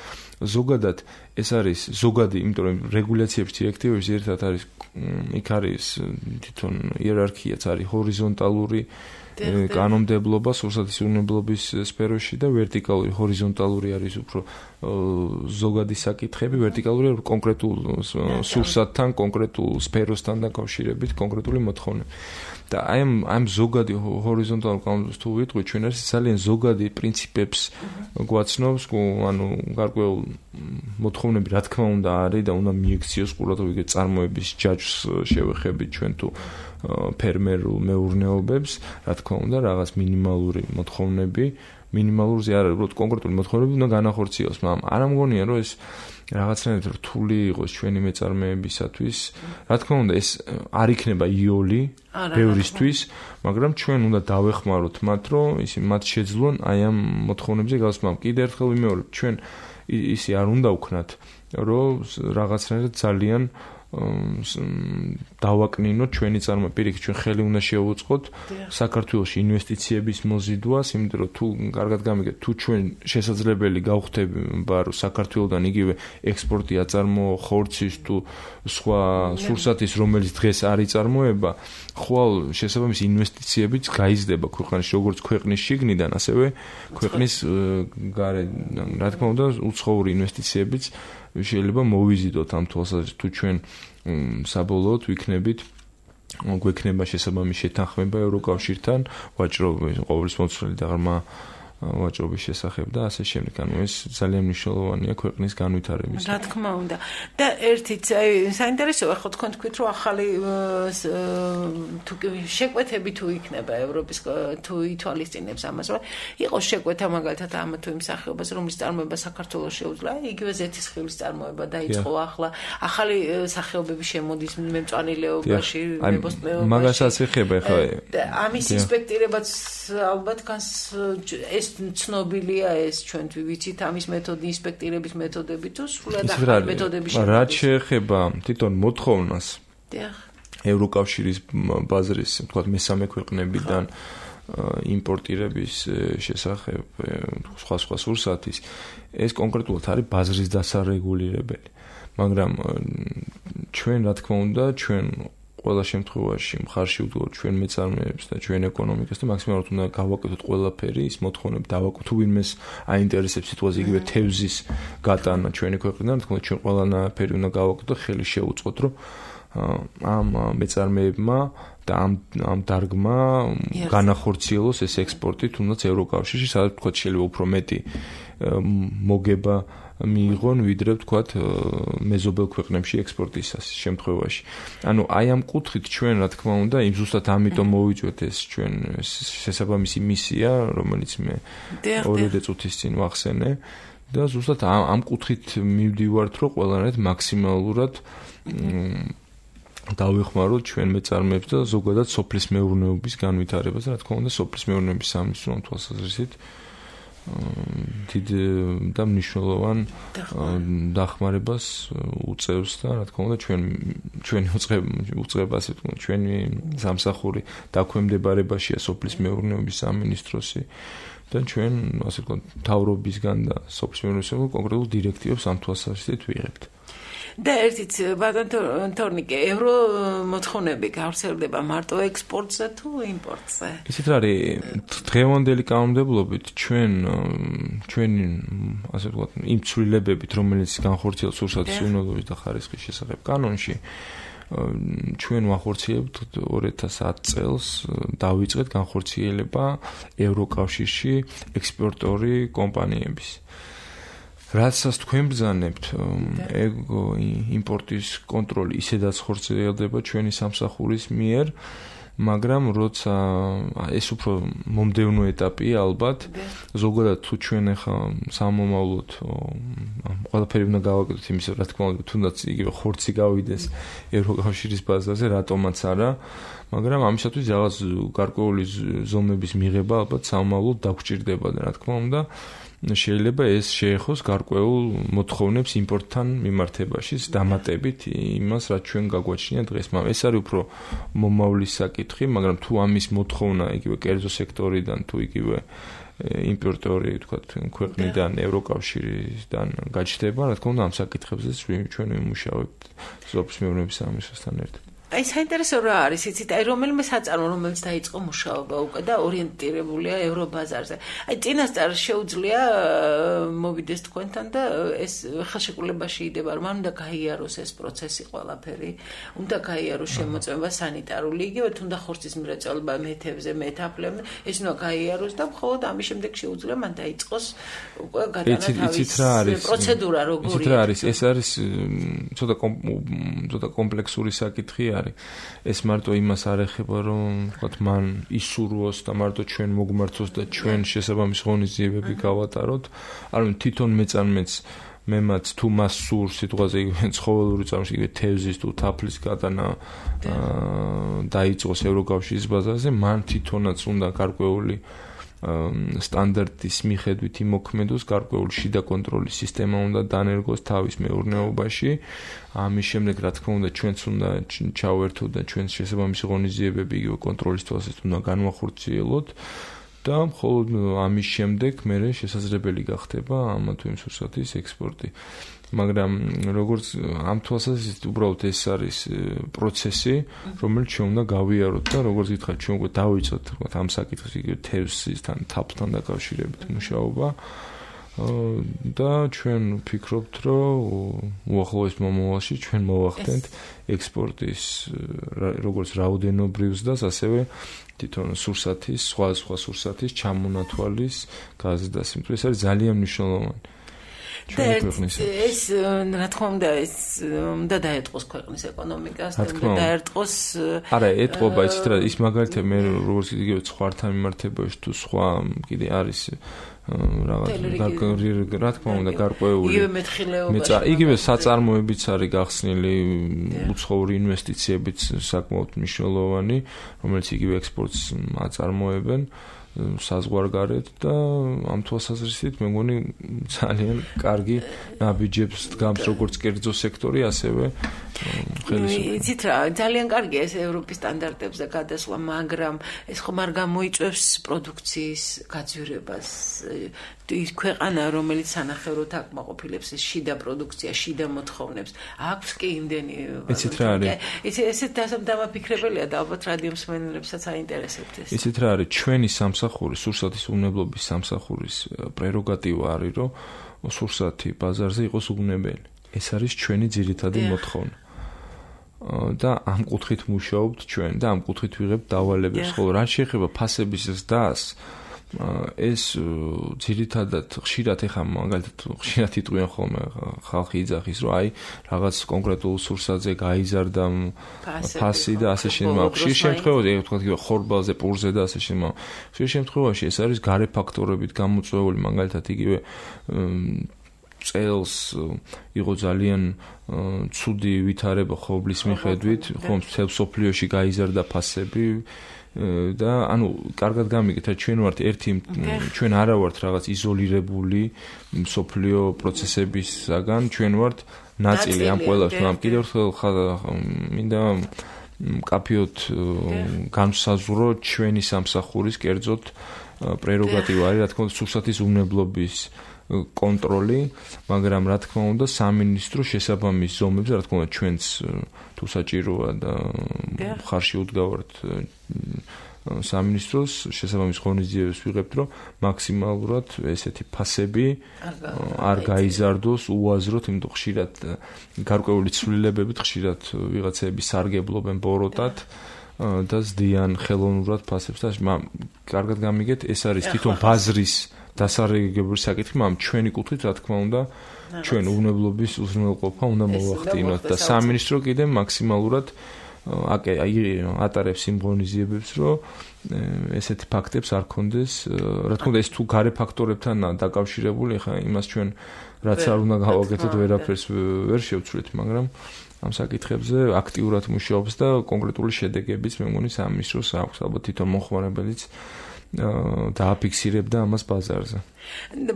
ზოგადად ეს არის ზოგადი, იმიტომ რომ რეგულაციების დირექტივებში ძირითადად არის იქ არის თვითონ იერარქიაც არის ჰორიზონტალური კანონმდებლობა სურსათის უნებლობის სფეროში და ვერტიკალური, ჰორიზონტალური არის უფრო ზოგადი საკითხები, ვერტიკალური კონკრეტულ სურსათთან, კონკრეტულ სფეროსთან დაკავშირებით კონკრეტული მოთხოვნები. და აი ამ ზოგადი ჰორიზონტალურ კანონმდებლობას თუ ვიტყვი, ჩვენ არის ძალიან ზოგადი პრინციპებს გვაცნობს, ანუ გარკვეულ მოთხოვნები რა თქმა უნდა არის და უნდა მიექციოს ყურადღება წარმოების ჯაჭვს შევეხებით ჩვენ თუ ფერმერულ მეურნეობებს, რა თქმა უნდა, რაღაც მინიმალური მოთხოვნები მინიმალურზე არ არის, უბრალოდ კონკრეტული მოთხოვნები უნდა განახორციელოს, მაგრამ არ ამგონია რომ ეს რაღაცნაირად რთული იყოს ჩვენი მეწარმეებისათვის. Რა თქმა უნდა, ეს არ იქნება იოლი ბევრისთვის, მაგრამ ჩვენ უნდა დავეხმაროთ მათ, რომ ისინი მათ შეძლონ აი ამ მოთხოვნებზე გასვლა. კიდევ ერთხელ ვიმეორებ, ჩვენ ისი არ უნდა ვქნათ, რომ რაღაცნაირად ძალიან დავაკნინოთ ჩვენი წარმოება. პირიქით, ჩვენ ხელი უნდა შევუწყოთ საქართველოში ინვესტიციების მოზიდვას, იმიტომ რომ თუ კარგად გამიგეთ, თუ ჩვენ შესაძლებელი გავხდება, რომ საქართველოდან იგივე ექსპორტი აწარმოო ხორცის თუ სხვა სურსათის, რომელიც დღეს არ იწარმოება, ხვალ შესაბამისი ინვესტიციებიც გაიზრდება ქვეყანაში, როგორც ქვეყნის შიგნიდან, ასევე ქვეყნის გარედან. რა თქმა უნდა, უცხოური ინვესტიციებიც შეიძლება მოვიზიდოთ ამ თვალსაზრისით, თუ ჩვენ საბოლოოდ გვექნება შესაბამისი შეთანხმება ევროკავშირთან, ვაჭრობის ყოვლის მოცვლელი და ღრმა ვაჭრობის შესახებ და ასე შემდეგ. ანუ ეს ძალიან მნიშვნელოვანია ქვეყნის განვითარების. რა თქმა უნდა. და ერთიც აი საინტერესოა ხო თქვენ თქვით რომ ახალი შეკვეთები თუ იქნება ევროპის თუ ითვალისწინებს ამას, რომ იყოს შეკვეთა მაგალითად ამ თუ იმ სახეობას, რომლის წარმოება საქართველოს შეუძლია, იგივე ზეთისხილის წარმოება დაიწყო ახლა, ახალი სახეობები შემოდის მემწვანილეობაში, მებოსტნეობაში. მაგასაც ეხება ხა. ამის ინსპექტირებაც ალბათ ეს ცნობილია ეს ჩვენთვის ვიცით ამის მეთოდი ინსპექტირების მეთოდები თუ სრულად ახალი მეთოდები შემოდის. რაც შეეხება თვითონ მოთხოვნას ევროკავშირის ბაზრის თქვათ მესამე ქვეყნებიდან იმპორტირების შესახებ სხვა სურსათის ეს კონკრეტულად არის ბაზრის დასარეგულირებელი. მაგრამ ჩვენ რა თქმა უნდა ჩვენ ყველა შემთხვევაში მხარში ვდგოთ ჩვენ მეწარმეებს და ჩვენ ეკონომიკას და მაქსიმალურად უნდა გავაკეთოთ ყველაფერი ის მოთხოვნები დავაკეთოთ თუ ვინმეს აინტერესებს სიტუაცია იგივე თევზის გატანა ჩვენი ქვეყნიდან თქმა ჩვენ ყველანაირი უნდა გავაკეთოთ ხელი შევუწყოთ რომ ამ მეწარმეებმა და ამ დარგმა განახორციელოს ეს ექსპორტი თუნდაც ევროკავშირში სადაც თქვა შეიძლება უფრო მეტი მოგება მიიღონ ვიდრე ვთქვათ მეზობელ ქვეყნებში ექსპორტის შემთხვევაში. ანუ აი ამ კუთხით ჩვენ რა თქმა უნდა იმ ზუსტად ამიტომ მოვიწვეთ ეს ჩვენ შესაბამისი მისია, რომელიც მე 2 წუთის წინ ვახსენე და ზუსტად ამ კუთხით მივდივართ, რომ ყველანაირად მაქსიმალურად დავეხმაროთ ჩვენ მეწარმეებს და ზოგადად სოფლის მეურნეობის განვითარებას და რა თქმა უნდა სოფლის მეურნეობის სამინისტროს თვალსაზრისით დიდ და მნიშვნელოვან დახმარებას უწევს და რა თქმა უნდა ჩვენი უწყება ასე ვთქვათ ჩვენი სამსახური დაქვემდებარებაშია სოფლის მეურნეობის სამინისტროსი და ჩვენ ასე ვთქვათ მთავრობისგან და სოფლის მეურნეობის კონკრეტულ დირექტივებს ამ თვალსაზრისით ვიღებთ. და ერთიც ბატონ თორნიკე ევრო მოთხოვნები გავრცელდება მარტო ექსპორტზე თუ იმპორტზე? ისეთ რა არის დღევანდელი კანონმდებლობით ჩვენი ასე ვთქვათ იმ ცვლილებებით რომელიც განხორციელდა სურსათის უნელობის და ხარისხის შესახებ კანონში ჩვენ ვახორციელებთ 2010 წელს დავიწყეთ განხორციელება ევროკავშირში ექსპორტორი კომპანიების რაცაც თქვენ ბრძანებთ იმპორტის კონტროლი ისედაც ხორციელდება ჩვენი სამსახურის მიერ მაგრამ როცა ეს უფრო მომდევნო ეტაპია ალბათ ზოგადად თუ ჩვენ ახლა სამომავლოდ ყველაფერი უნდა გავაკეთოთ იმის რა თქმა უნდა თუნდაც იგივე ხორცი გავიდეს ევროკავშირის ბაზაზე რატომაც არა მაგრამ ამისათვის რაღაც გარკვეული ზომების მიღება ალბათ სამომავლოდ დაგვჭირდება და რა თქმა უნდა შეიძლება ეს შეეხოს გარკვეულ მოთხოვნებს იმპორტთან მიმართებაში დამატებით იმას რაც ჩვენ გაგვაჩნია დღეს. მაგრამ ეს არის უფრო მომავლის საკითხი, მაგრამ თუ ამის მოთხოვნა იგივე კერძო სექტორიდან თუ იგივე იმპორტორი ვთქვათ ქვეყნიდან ევროკავშირიდან გაჩნდება, რა თქმა უნდა ამ საკითხებზე ჩვენ ვიმუშავებთ სოფლის მეურნეობის სამინისტროსთან ერთად. აი საინტერესო რა არის იცით აი რომელიმე საწარმო რომელიც დაიწყო მუშაობა უკვე და ორიენტირებულია ევრობაზარზე აი წინასწარ შეუძლია მოვიდეს თქვენთან და ეს ხელშეკრულებაში იდება რომ უნდა გაიაროს ეს პროცესი ყველაფერი უნდა გაიაროს შემოწმება სანიტარული იგივე თუნდა ხორცის მრეწველობა მეთევზე მეთაფლებზე ეს უნდა გაიაროს და მხოლოდ ამის შემდეგ შეუძლია მან დაიწყოს უკვე გადაათავის პროცედურა როგორია იცით რა არის ეს არის ცოტა კომპლექსური საკითხია არის. ეს მარტო იმას არ ეხება, რომ ვთქვათ, მან ისურვოს და მარტო ჩვენ მოგმართოს და ჩვენ შესაბამის ღონისძიებები გავატაროთ. ანუ თვითონ მეწარმეც მემაც თუ მას სურს სიტყვაზე ცხოველური წარმოშობა, იგივე თევზის თუ თაფლის გატანა დაიწყოს ევროკავშირის ბაზარზე, მან თვითონაც უნდა გარკვეული სტანდარტის მიხედვით იმოქმედოს, გარკვეული შიდა კონტროლის სისტემა უნდა დანერგოს თავის მეურნეობაში. ამის შემდეგ, რა თქმა უნდა, ჩვენც უნდა ჩავერთოთ და ჩვენს შესაბამისი ღონისძიებები იგივე კონტროლის თვალსაზრისით უნდა განვახორციელოთ. და მხოლოდ ამის შემდეგ მერე შესაძლებელი გახდება ამა თუ იმ სურსათის ექსპორტი. მაგრამ როგორც ამ თვალსაზრისით უბრალოდ ეს არის პროცესი, რომელიც ჩვენ უნდა გავიაროთ და როგორც გითხარით, ჩვენ უკვე დავიწყოთ ამ საკითხს იგივე თევზისთან, თაფლთან დაკავშირებით მუშაობა. და ჩვენ ვფიქრობთ, რომ უახლოეს მომავალში ჩვენ მოვახდენთ ექსპორტის როგორც რაოდენობრივს და ასევე თვითონ სურსათის, სხვა სურსათის ჩამონათვალის გაზრდას. ეს არის ძალიან მნიშვნელოვანი. ეს რა თქმა უნდა ეს უნდა დაეთყოს ქვეყნის ეკონომიკას და უნდა დაერთყოს არა ეთყობა იცით რა ის მაგალითად მე როგორც იგივე სხვათან მიმართებაში თუ სხვა კიდე არის რა თქმა უნდა გარკვეული იგივე მეთხილეობა იგივე საწარმოებიც არის გახსნილი უცხოური ინვესტიციებიც საკმაოდ მნიშვნელოვანი რომელიც იგივე ექსპორტს აწარმოებენ საზღვარგარეთ და ამ თვალსაზრისით მე მგონი ძალიან კარგი ნაბიჯებს დგამს როგორც კერძო სექტორი ასევე ხელისუფლება. იცით რა ძალიან კარგია ეს ევროპის სტანდარტებზე გადასვლა, მაგრამ ეს ხომ არ გამოიწვევს პროდუქციის გაძვირებას. ის ქვეყანა რომელიც სანახევროდ აკმაყოფილებს ეს შიდა პროდუქცია, შიდა მოთხოვნებს, აქვს კი იმდენი იცით რა არის? ესეთ დამაფიქრებელია და ალბათ რადიო მსმენელებსაც აინტერესებთ ეს. იცით რა არის? ჩვენი სამსახური, სურსათის უნებლობის სამსახურის პრეროგატივა არის, რომ სურსათი ბაზარზე იყოს უნებელი. ეს არის ჩვენი ძირითადი მოთხოვნა. და ამ კუთხით მუშაობთ ჩვენ და ამ კუთხით ვიღებთ დავალებებს, ხოლო რა შეეხება ფასების ზრდას, ეს ძირითადად ხშირად ეხა მაგალითად ხშირად იტყვიან ხოლმე ხალხი იძახის, რომ აი რაღაც კონკრეტულ სურსათზე გაიზარდა ფასი და ასე შემდგომ. ხშირ შემთხვევაში, ვთქვათ, ხორბალზე, პურზე და ასე შემდგომ. ხშირ შემთხვევაში ეს არის გარე ფაქტორებით გამოწვეული, მაგალითად იგივე წელს იყო ძალიან ცუდი ვითარება ხობლის მიხედვით, ხომ მთელ სოფლიოში გაიზარდა ფასები და ანუ კარგად გამიგეთ, ჩვენ ვართ ჩვენ არა ვართ რაღაც იზოლირებული სოფლიო პროცესებისაგან, ჩვენ ვართ ნაწილი ამ ყველას, მაგრამ კიდევ ერთხელ მინდა მკაფიოდ განსაზღვრო ჩვენი სამსახურის კერძოდ პრეროგატივა არის, რა თქმა უნდა, სურსათის უნებლობის კონტროლი, მაგრამ რა თქმა უნდა სამინისტრო შესაბამის ზომებზე, რა თქმა უნდა ჩვენც თუ საჭიროა და მხარში უდგავართ სამინისტროს შესაბამის ღონისძიებებს ვიღებთ, რომ მაქსიმალურად ესეთი ფასები არ გაიზარდოს უაზროდ, იმიტომ ხშირად გარკვეული ცვლილებებით ხშირად ვიღაცები სარგებლობენ ბოროტად და ზდიან ხელოვნურად ფასებს და კარგად გამიგეთ, ეს არის თვითონ ბაზრის დასარეგებლობის საკითხი, მაგრამ ჩვენი კუთხით, რა თქმა უნდა, ჩვენ უნებლობის უზრუნველყოფა უნდა მოვახდინოთ და სამინისტრო კიდე მაქსიმალურად ატარებს იმ ღონისძიებებს, რომ ესეთი ფაქტებს არ ქონდეს. რა თქმა უნდა, ეს თუ გარე ფაქტორებთან დაკავშირებული, ხა იმას ჩვენ რაც არ უნდა გავაკეთოთ, ვერაფერს ვერ შევცვლით, მაგრამ ამ საკითხებზე აქტიურად მუშაობს და კონკრეტული შედეგებიც მე მგონი სამინისტროს აქვს, ალბათ თვითონ მომხმარებელიც დააფიქსირებდა ამას ბაზარზე.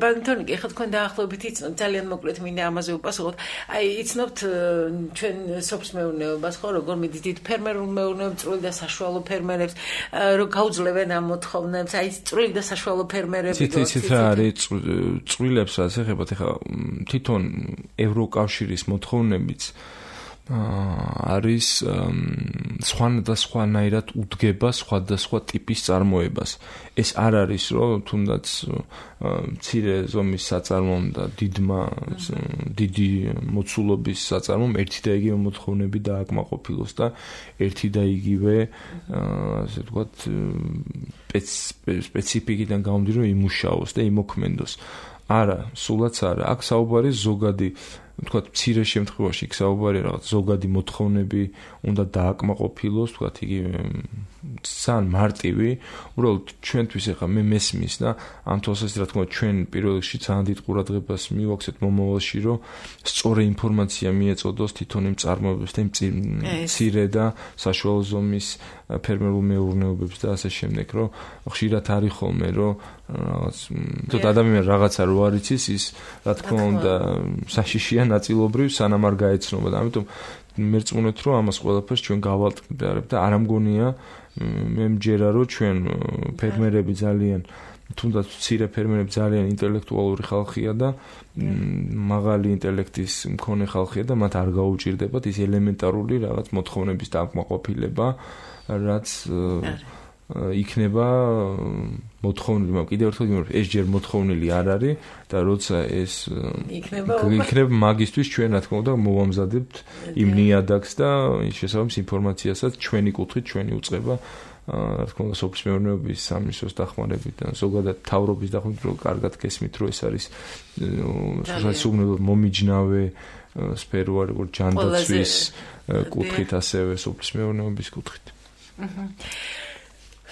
ბანთონიკი, ხა თქვენ დაახლოებით იცნობთ, ძალიან მოკლედ მინდა ამაზე უპასუხოთ. აი, იცნობთ ჩვენ სოფლის მეურნეობას, ხო, როგორ მიდის დიდ ფერმერულ მეურნეობებს, წვრილი და საშუალო ფერმერებს, რომ გაუძლებენ ამ მოთხოვნებს, აი, წვრილი და საშუალო ფერმერები. იცით რა არის წვრილებს რაც ეხება, ხა თვითონ ევროკავშირის მოთხოვნებიც არის სხვადასხვანაირად უდგება სხვადასხვა ტიპის წარმოებას. ეს არ არის, რომ თუნდაც მცირე ზომის საწარმომ და დიდი მოცულობის საწარმომ ერთი და იგივე მოთხოვნები დააკმაყოფილოს და ერთი და იგივე ასე ვთქვათ სპეციფიკიდან გამომდინარე იმუშაოს და იმოქმედოს. არა, სულაც არა. აქ საუბარი ზოგადი თქვათ მცირე შემთხვევაში იქ საუბარია რაღაც ზოგადი მოთხოვნები უნდა დააკმაყოფილოს, თქვათ იგი ძალიან მარტივი, უბრალოდ ჩვენთვის ახლა მე მესმის და ამ თვალსაზრისით რა თქმა უნდა ჩვენ პირველ რიგში ძალიან დიდ ყურადღებას მივაქცევთ მომავალში, რომ სწორი ინფორმაცია მიეწოდოს თვითონ იმ წარმოებებს და იმ მცირე და საშუალო ზომის ფერმერულ მეურნეობებს და ასე შემდეგ, რომ ხშირად არის ხოლმე, რომ რაღაც თოთ ადამიანი რაღაცა რო არ იცის, ის რა თქმა უნდა საშიშია ნაწილობრივ სანამ არ გაეცნობა და ამიტომ მე რწმუნეთ, რომ ამას ყველაფერს ჩვენ გავალტყდარებ და არ ამგონია მე მჯერა, რომ ჩვენ ფერმერები ძალიან თუნდაც მცირე ფერმერები ძალიან ინტელექტუალური ხალხია და მაღალი ინტელექტის მქონე ხალხია და მათ არ გაუჭირდებათ ის ელემენტარული რაღაც მოთხოვნების დააკმაყოფილება, რაც იქნება მოთხოვნილი, მაგრამ კიდევ ერთხელ გიმეორებ, ეს ჯერ მოთხოვნილი არ არის და როცა ეს იქნება მაგისტვის ჩვენ რა თქმა უნდა მოვამზადებთ იმ ნიადაგს და ის შესაბამის ინფორმაციასაც ჩვენი კუთხით, ჩვენი უწყება რა თქმა უნდა სოფლის მეურნეობის სამინისტროს დახმარებით და ზოგადად მთავრობის დახმარებით, რომ კარგად გესმით, რომ ეს არის სულ მომიჯნავე სფერო, როგორ ჯანდაცვის კუთხით, ასევე სოფლის მეურნეობის კუთხით.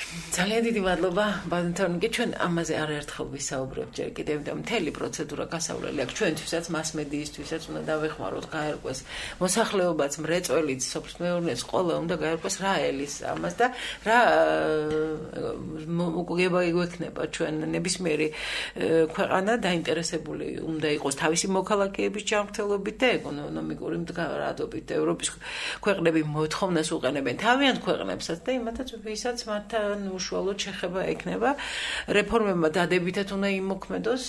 ძალიან დიდი მადლობა ბატონთონიკე, ჩვენ ამაზე არაერთხელ ვისაუბრებთ ჯერ კიდევ და მთელი პროცედურა გასავლელი აქვს ჩვენთვისაც, მასმედიისთვისაც უნდა დავეხმაროთ, გაერკვეს მოსახლეობაც, მრეწველიც, სოფლის მეურნეობს, ყველა უნდა გაერკვეს რა ელის ამას და რა მოგება იგვექნება ჩვენ ნებისმიერი ქვეყანა დაინტერესებული უნდა იყოს თავისი მოქალაქეების ჯანმრთელობით და ეკონომიკური მდგრადობით. ევროპის ქვეყნები მოთხოვნას უყენებენ თავიანთ ქვეყნებსაც და იმათაც ვისაც მათთან უშუალოდ შეხება ექნება რეფორმებმა დადებითად უნდა იმოქმედოს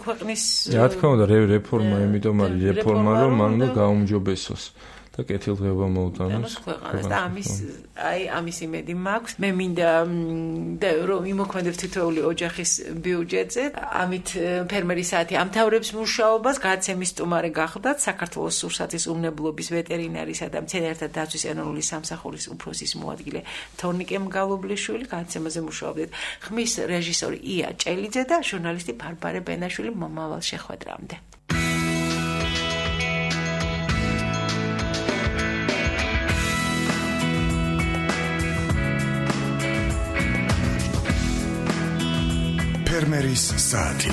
ქვეყნის რა თქმა უნდა რეფორმა იმიტომ არის რეფორმა რომ მან უნდა გაუმჯობესოს და კეთილდღეობა მოუტანოს ქვეყანას და ამის იმედი მაქვს მე მინდა რომ იმოქმედებს თითოეული ოჯახის ბიუჯეტზე ამით ფერმერის საათი ამთავრებს მუშაობას გადაცემის სტუმარი გახლდათ საქართველოს სურსათის უმნებლობის ვეტერინარისა და მცენარეთა დაცვის ეროვნული სამსახურის უფროსის მოადგილე თორნიკე მგალობლიშვილი გადაცემაზე მუშაობდით ხმის რეჟისორი ია ჭელიძე და ჟურნალისტი ბარბარე ბენაშვილი მომავალ შეხვედრამდე ფერმერის საათი